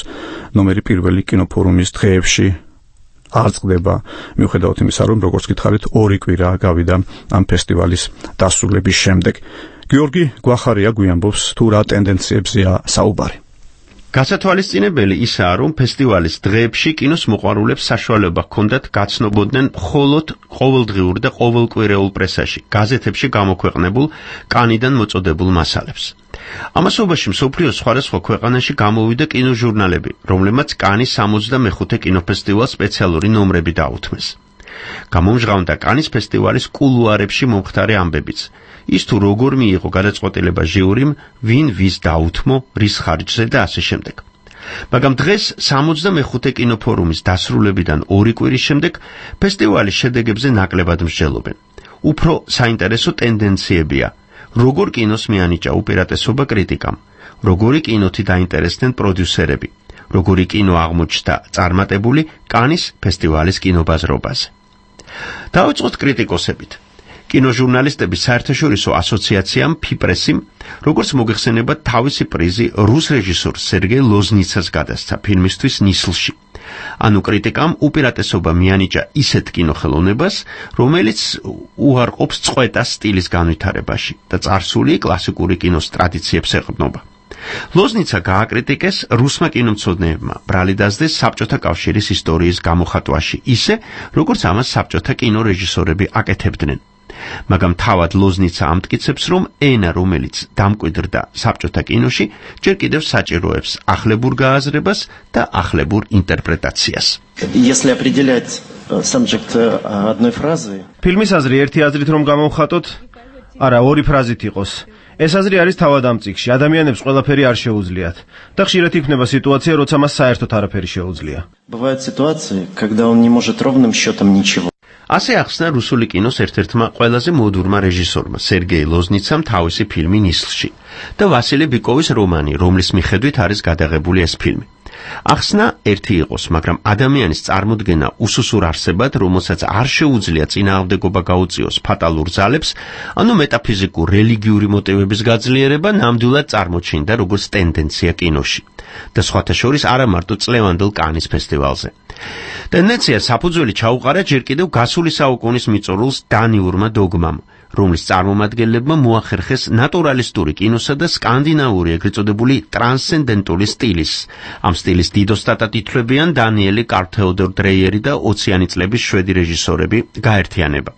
ნომერი პირველი კინოფორუმის დღეებში. არ წყდება, მიუხედავად იმისა, რომ როგორც გითხარით, ორი კვირა გავიდა ამ ფესტივალის დასრულების შემდეგ. გიორგი გვახარია გვიამბობს, თუ რა ტენდენციებზეა საუბარი. გასათვალისწინებელი ისაა, რომ ფესტივალის დღეებში კინოს მოყვარულებს საშუალება ჰქონდათ გაცნობოდნენ მხოლოდ ყოველდღიურ და ყოველკვირეულ პრესაში, გაზეთებში გამოქვეყნებულ კანიდან მოწოდებულ მასალებს. ამასობაში მსოფლიოს სხვადასხვა ქვეყანაში გამოვიდა კინოჟურნალები, რომლებმაც კანის სამოცდამეხუთე კინოფესტივალს სპეციალური ნომრები დაუთმეს. გამომჟღავნდა კანის ფესტივალის კულუარებში მომხდარი ამბებიც. ის თუ როგორ მიიღო გადაწყვეტილება ჟიურიმ, ვინ ვის დაუთმო, რის ხარჯზე და ასე შემდეგ. მაგრამ დღეს სამოცდამეხუთე კინოფორუმის დასრულებიდან ორი კვირის შემდეგ ფესტივალის შედეგებზე ნაკლებად მსჯელობენ. უფრო საინტერესო ტენდენციებია. როგორ კინოს მიანიჭა უპირატესობა კრიტიკამ, როგორი კინოთი დაინტერესდნენ პროდიუსერები, როგორი კინო აღმოჩნდა წარმატებული კანის ფესტივალის კინობაზრობაზე. დავიწყოთ კრიტიკოსებით. კინოჟურნალისტების საერთაშორისო ასოციაციამ ფიპრესიმ, როგორც მოგეხსენებათ, თავისი პრიზი რუს რეჟისორ სერგეი ლოზნიცას გადასცა ფილმისთვის ნისლში. ანუ კრიტიკამ უპირატესობა მიანიჭა ისეთ კინოხელოვნებას, რომელიც უარყოფს წყვეტას სტილის განვითარებაში და წარსული კლასიკური კინოს ტრადიციებს ეყრდნობა. ლოზნიცა გააკრიტიკეს რუსმა კინომცოდნეებმა, ბრალი დასდეს საბჭოთა კავშირის ისტორიის გამოხატვაში, ისე, როგორც ამას საბჭოთა კინორეჟისორები აკეთებდნენ. მაგრამ თავად ლოზნიცა ამტკიცებს, რომ ენა, რომელიც დამკვიდრდა საბჭოთა კინოში, ჯერ კიდევ საჭიროებს ახლებურ გააზრებას და ახლებურ ინტერპრეტაციას. Если определять subject одной фразой, ფილმის აზრი ერთი აზრით რომ გამოვხატოთ, არა, ორი ფრაზით იყოს. ეს აზრი არის თავად ამ წიგნში, ადამიანებს ყველაფერი არ შეუძლიათ და ხშირად იქნება სიტუაცია, როცა მას საერთოდ არაფერი შეუძლია. Бывают ситуации, когда он не может ровным счетом ничего. ასე ახსნა რუსული კინოს ერთ-ერთმა ყველაზე მოდურმა რეჟისორმა, სერგეი ლოზნიცამ თავისი ფილმი ნისლში და ვასილი ბიკოვის რომანი, რომლის მიხედვით არის გადაღებული ეს ფილმი. ახსნა ერთი იყოს, მაგრამ ადამიანის წარმოდგენა უსუსურ არსებად, რომელსაც არ შეუძლია წინააღმდეგობა გაუწიოს ფატალურ ძალებს, ანუ მეტაფიზიკურ რელიგიური მოტივების გაძლიერება ნამდვილად წარმოჩინდა როგორც ტენდენცია კინოში და სხვათა შორის არა მარტო წლევანდელ კანის ფესტივალზე. ტენდენცია საფუძველი ჩაუყარა ჯერ კიდევ გასული საუკუნის მიწურულს დანიურმა დოგმამ, რომლის წარმომადგენლებმა მოახერხეს ნატურალისტური კინოსა და სკანდინავური ეგრეთ წოდებული ტრანსცენდენტული სტილის. ამ სტილის დიდ ოსტატად ითვლებიან დანიელი კარტ-თეოდორ დრეიერი და ოციანი წლების შვედი რეჟისორები გაერთიანება.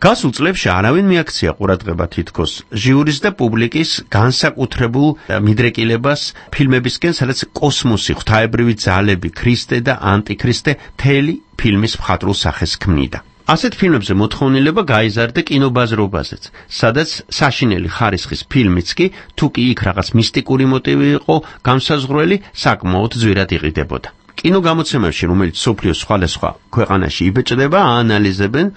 გასულ წლებში არავინ მიაქცია ყურადღება თითქოს ჟიურის და პუბლიკის განსაკუთრებულ მიდრეკილებას ფილმებისკენ, სადაც კოსმოსი, ღვთაებრივი ძალები, ქრისტე და ანტიქრისტე მთელი ფილმის მხატვრულ სახეს ქმნიდა. ასეთ ფილმებზე მოთხოვნილება გაიზარდა კინობაზრობაზეც, სადაც საშინელი ხარისხის ფილმიც კი, თუ კი იქ რაღაც მისტიკური მოტივი იყო გამსაზღვრელი, საკმაოდ ძვირად იყიდებოდა. კინოგამოცემებში, რომელიც სოფლიოს სხვადასხვა ქვეყანაში იბეჭდება, აანალიზებენ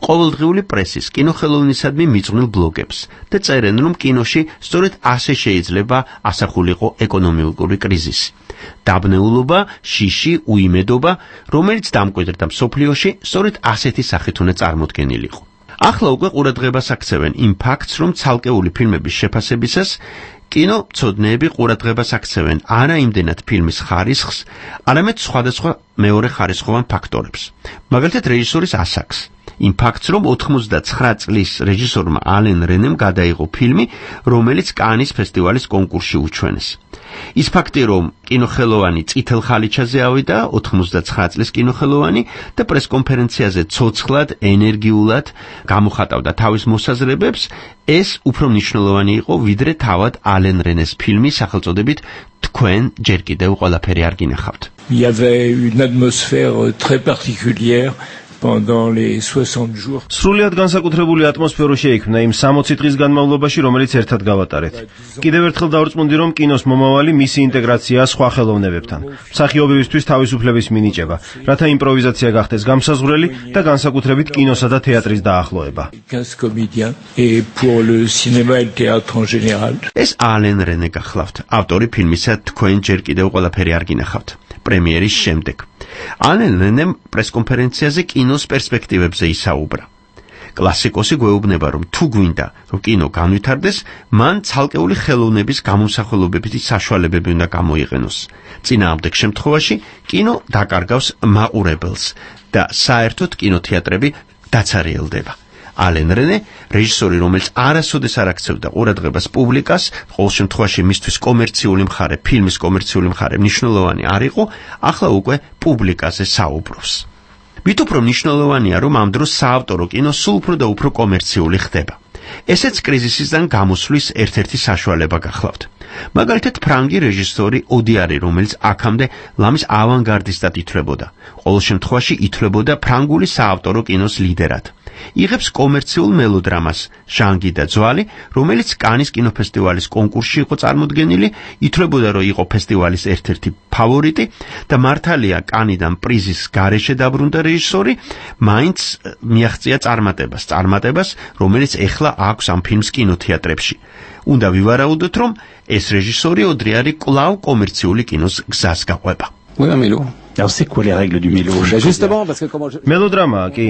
ყოველდღიური პრესის, კინოხელოვნისადმი მიძღვნილ ბლოგებს და წერენ, რომ კინოში სწორედ ასე შეიძლება ასახულიყო ეკონომიკური კრიზისი. დაბნეულობა, შიში, უიმედობა, რომელიც დამკვიდრდა მსოფლიოში, სწორედ ასეთი სახით უნდა წარმოდგენილიყო. ახლა უკვე ყურადღებას აქცევენ იმ ფაქტს, რომ ცალკეული ფილმების შეფასებისას კინომცოდნეები ყურადღებას აქცევენ არა იმდენად ფილმის ხარისხს, არამედ სხვადასხვა მეორე ხარისხოვან ფაქტორებს. მაგალითად, რეჟისორის ასაკს. იმ ფაქტს, რომ ოთხმოცდაცხრა წლის რეჟისორმა ალენ რენემ გადაიღო ფილმი, რომელიც კანის ფესტივალის კონკურსში უჩვენეს. ის ფაქტი, რომ კინოხელოვანი წითელ ხალიჩაზე ავიდა, ოთხმოცდაცხრა წლის კინოხელოვანი და პრესკონფერენციაზე ცოცხლად, ენერგიულად გამოხატავდა თავის მოსაზრებებს, ეს უფრო მნიშვნელოვანი იყო, ვიდრე თავად ალენ რენეს ფილმი სახელწოდებით თქვენ ჯერ კიდევ ყველაფერი არ გინახავთ. Il y avait une atmosphère très particulière pendant les soixante jours. სრულიად განსაკუთრებული ატმოსფერო შეიქმნა იმ სამოცი დღის განმავლობაში, რომელიც ერთად გავატარეთ. კიდევ ერთხელ დავრწმუნდი, რომ კინოს მომავალი მისი ინტეგრაცია სხვა ხელოვნებებთან, მსახიობებისთვის თავისუფლების მინიჭება, რათა იმპროვიზაცია გახდეს გამსაზღვრელი და განსაკუთრებით კინოსა და თეატრის დაახლოება. quinze comédiens et pour le cinéma et le théâtre en général. ეს ალენ რენე გახლავთ, ავტორი ფილმისა თქვენ ჯერ კიდევ ყველაფერი არ გინახავთ, პრემიერის შემდეგ. ალენ რენემ პრესკონფერენციაზე კინოს პერსპექტივებზე ისაუბრა. კლასიკოსი გვეუბნება, რომ თუ გვინდა, რომ კინო განვითარდეს, მან ცალკეული ხელოვნების გამომსახველობებითი საშუალებები უნდა გამოიყენოს. წინააღმდეგ შემთხვევაში კინო დაკარგავს მაყურებელს და საერთოდ კინოთეატრები დაცარიელდება. ალენ რენე, რეჟისორი, რომელიც არასოდეს არ აქცევდა ყურადღებას პუბლიკას, ყოველ შემთხვევაში მისთვის კომერციული მხარე, ფილმის კომერციული მხარე მნიშვნელოვანი არ იყო, ახლა უკვე პუბლიკაზე საუბრობს. მით უფრო მნიშვნელოვანია, რომ ამ დროს საავტორო კინო სულ უფრო და უფრო კომერციული ხდება. ესეც კრიზისისგან გამოსვლის ერთ-ერთი საშუალება გახლავთ. მაგალითად, ფრანგი რეჟისორი ოდიარი, რომელიც აქამდე ლამის ავანგარდისტად ითვლებოდა, ყოველ შემთხვევაში ითვლებოდა ფრანგული საავტორო კინოს ლიდერად. იღებს კომერციულ მელოდრამას ჟანგი და ძვალი, რომელიც კანის კინოფესტივალის კონკურსში იყო წარმოდგენილი, ითვლებოდა, რომ იყო ფესტივალის ერთ-ერთი ფავორიტი და მართალია კანიდან პრიზის გარეშე დაბრუნდა რეჟისორი, მაინც მიაღწია წარმატებას, წარმატებას, რომელიც ეხლა აქვს ამ ფილმს კინოთეატრებში. უნდა ვივარაუდოთ, რომ ეს რეჟისორი ოდრიარი კვლავ კომერციული კინოს გზას გაყვება. Alors c'est quoi les règles du mélo? Justement parce que comment je მელოდრამაა კი,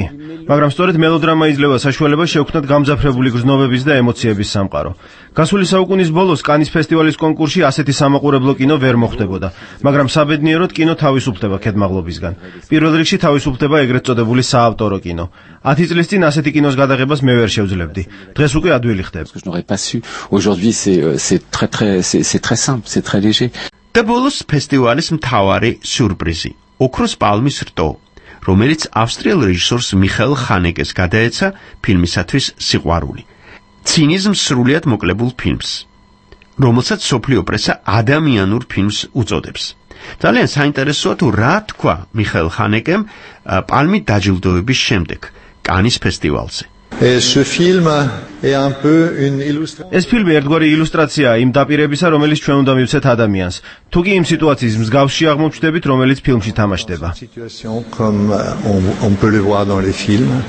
მაგრამ სწორედ მელოდრამა იძლევა საშუალებას შეექმნათ გამძაფრებული გრძნობების და ემოციების სამყარო. გასული საუკუნის ბოლოს კანის ფესტივალის კონკურსში ასეთი სამაყურებლო კინო ვერ მოხდებოდა, მაგრამ საბედნიეროდ კინო თავისუფლდება ქედმაღლობისგან. პირველ რიგში თავისუფლდება ეგრეთ წოდებული საავტორო კინო. ათი წლის წინ ასეთი კინოს გადაღებას მე ვერ შევძლებდი. დღეს უკვე ადვილი ხდება. Je n'aurais pas su. Aujourd'hui c'est c'est très très c'est c'est très simple, c'est très léger. და ბოლოს ფესტივალის მთავარი სიურპრიზი, ოქროს პალმის რტო, რომელიც ავსტრიელ რეჟისორს მიხაელ ხანეკეს გადაეცა ფილმისათვის სიყვარული. ცინიზმს სრულიად მოკლებულ ფილმს, რომელსაც სოფლიო პრესა ადამიანურ ფილმს უწოდებს. ძალიან საინტერესოა თუ რა თქვა მიხაელ ხანეკემ პალმით დაჯილდოების შემდეგ კანის ფესტივალზე. Ce film est un peu une illustration. ეს ფილმი ერთგვარი ილუსტრაციაა იმ დაპირებისა, რომელიც ჩვენ უნდა მივცეთ ადამიანს. თუ კი იმ სიტუაციის მსგავსში აღმოჩნდებით, რომელიც ფილმში თამაშდება. Comme on, on peut le voir dans les films.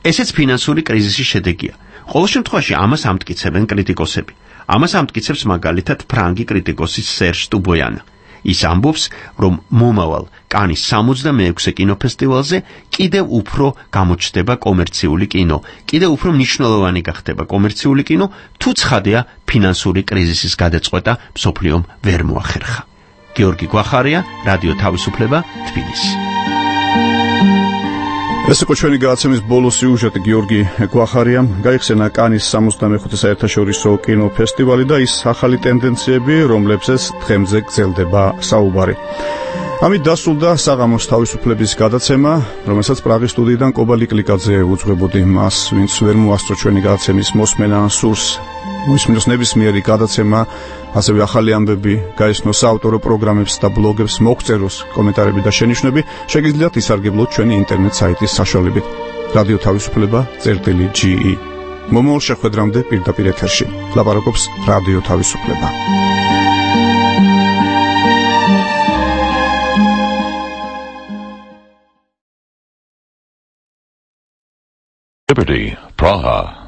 ესეც ფინანსური კრიზისის შედეგია. ყოველ შემთხვევაში ამას ამტკიცებენ კრიტიკოსები. ამას ამტკიცებს მაგალითად ფრანგი კრიტიკოსი სერჟ ტუბოიანა. ის ამბობს, რომ მომავალ კანის სამოცდამეექვსე კინოფესტივალზე კიდევ უფრო გამოჩნდება კომერციული კინო, კიდევ უფრო მნიშვნელოვანი გახდება კომერციული კინო, თუ ცხადია ფინანსური კრიზისის გადაწყვეტა მსოფლიომ ვერ მოახერხა. გიორგი გვახარია, რადიო თავისუფლება, თბილისი. ეს იყო ჩვენი გადაცემის ბოლო სიუჟეტი გიორგი გვახარიამ. გაიხსენა კანის სამოცდამეხუთე საერთაშორისო კინოფესტივალი და ის ახალი ტენდენციები, რომლებზეც დღემდე გრძელდება საუბარი. ამით დასრულდა საღამოს თავისუფლების გადაცემა, რომელსაც პრაღის სტუდიიდან კობა ლიკლიკაძე უძღვებოდი. მას, ვინც ვერ მოასწრო ჩვენი გადაცემის მოსმენა, სურს მოისმინოს ნებისმიერი გადაცემა, ასევე ახალი ამბები, გაიცნოს საავტორო პროგრამებს და ბლოგებს, მოგწეროს კომენტარები და შენიშვნები, შეგიძლიათ ისარგებლოთ ჩვენი ინტერნეტ საიტის საშუალებით. რადიო თავისუფლება წერტილი ჯი ი. მომავალ შეხვედრამდე პირდაპირ ეთერში. ლაპარაკობს რადიო თავისუფლება. Liberty, Praha.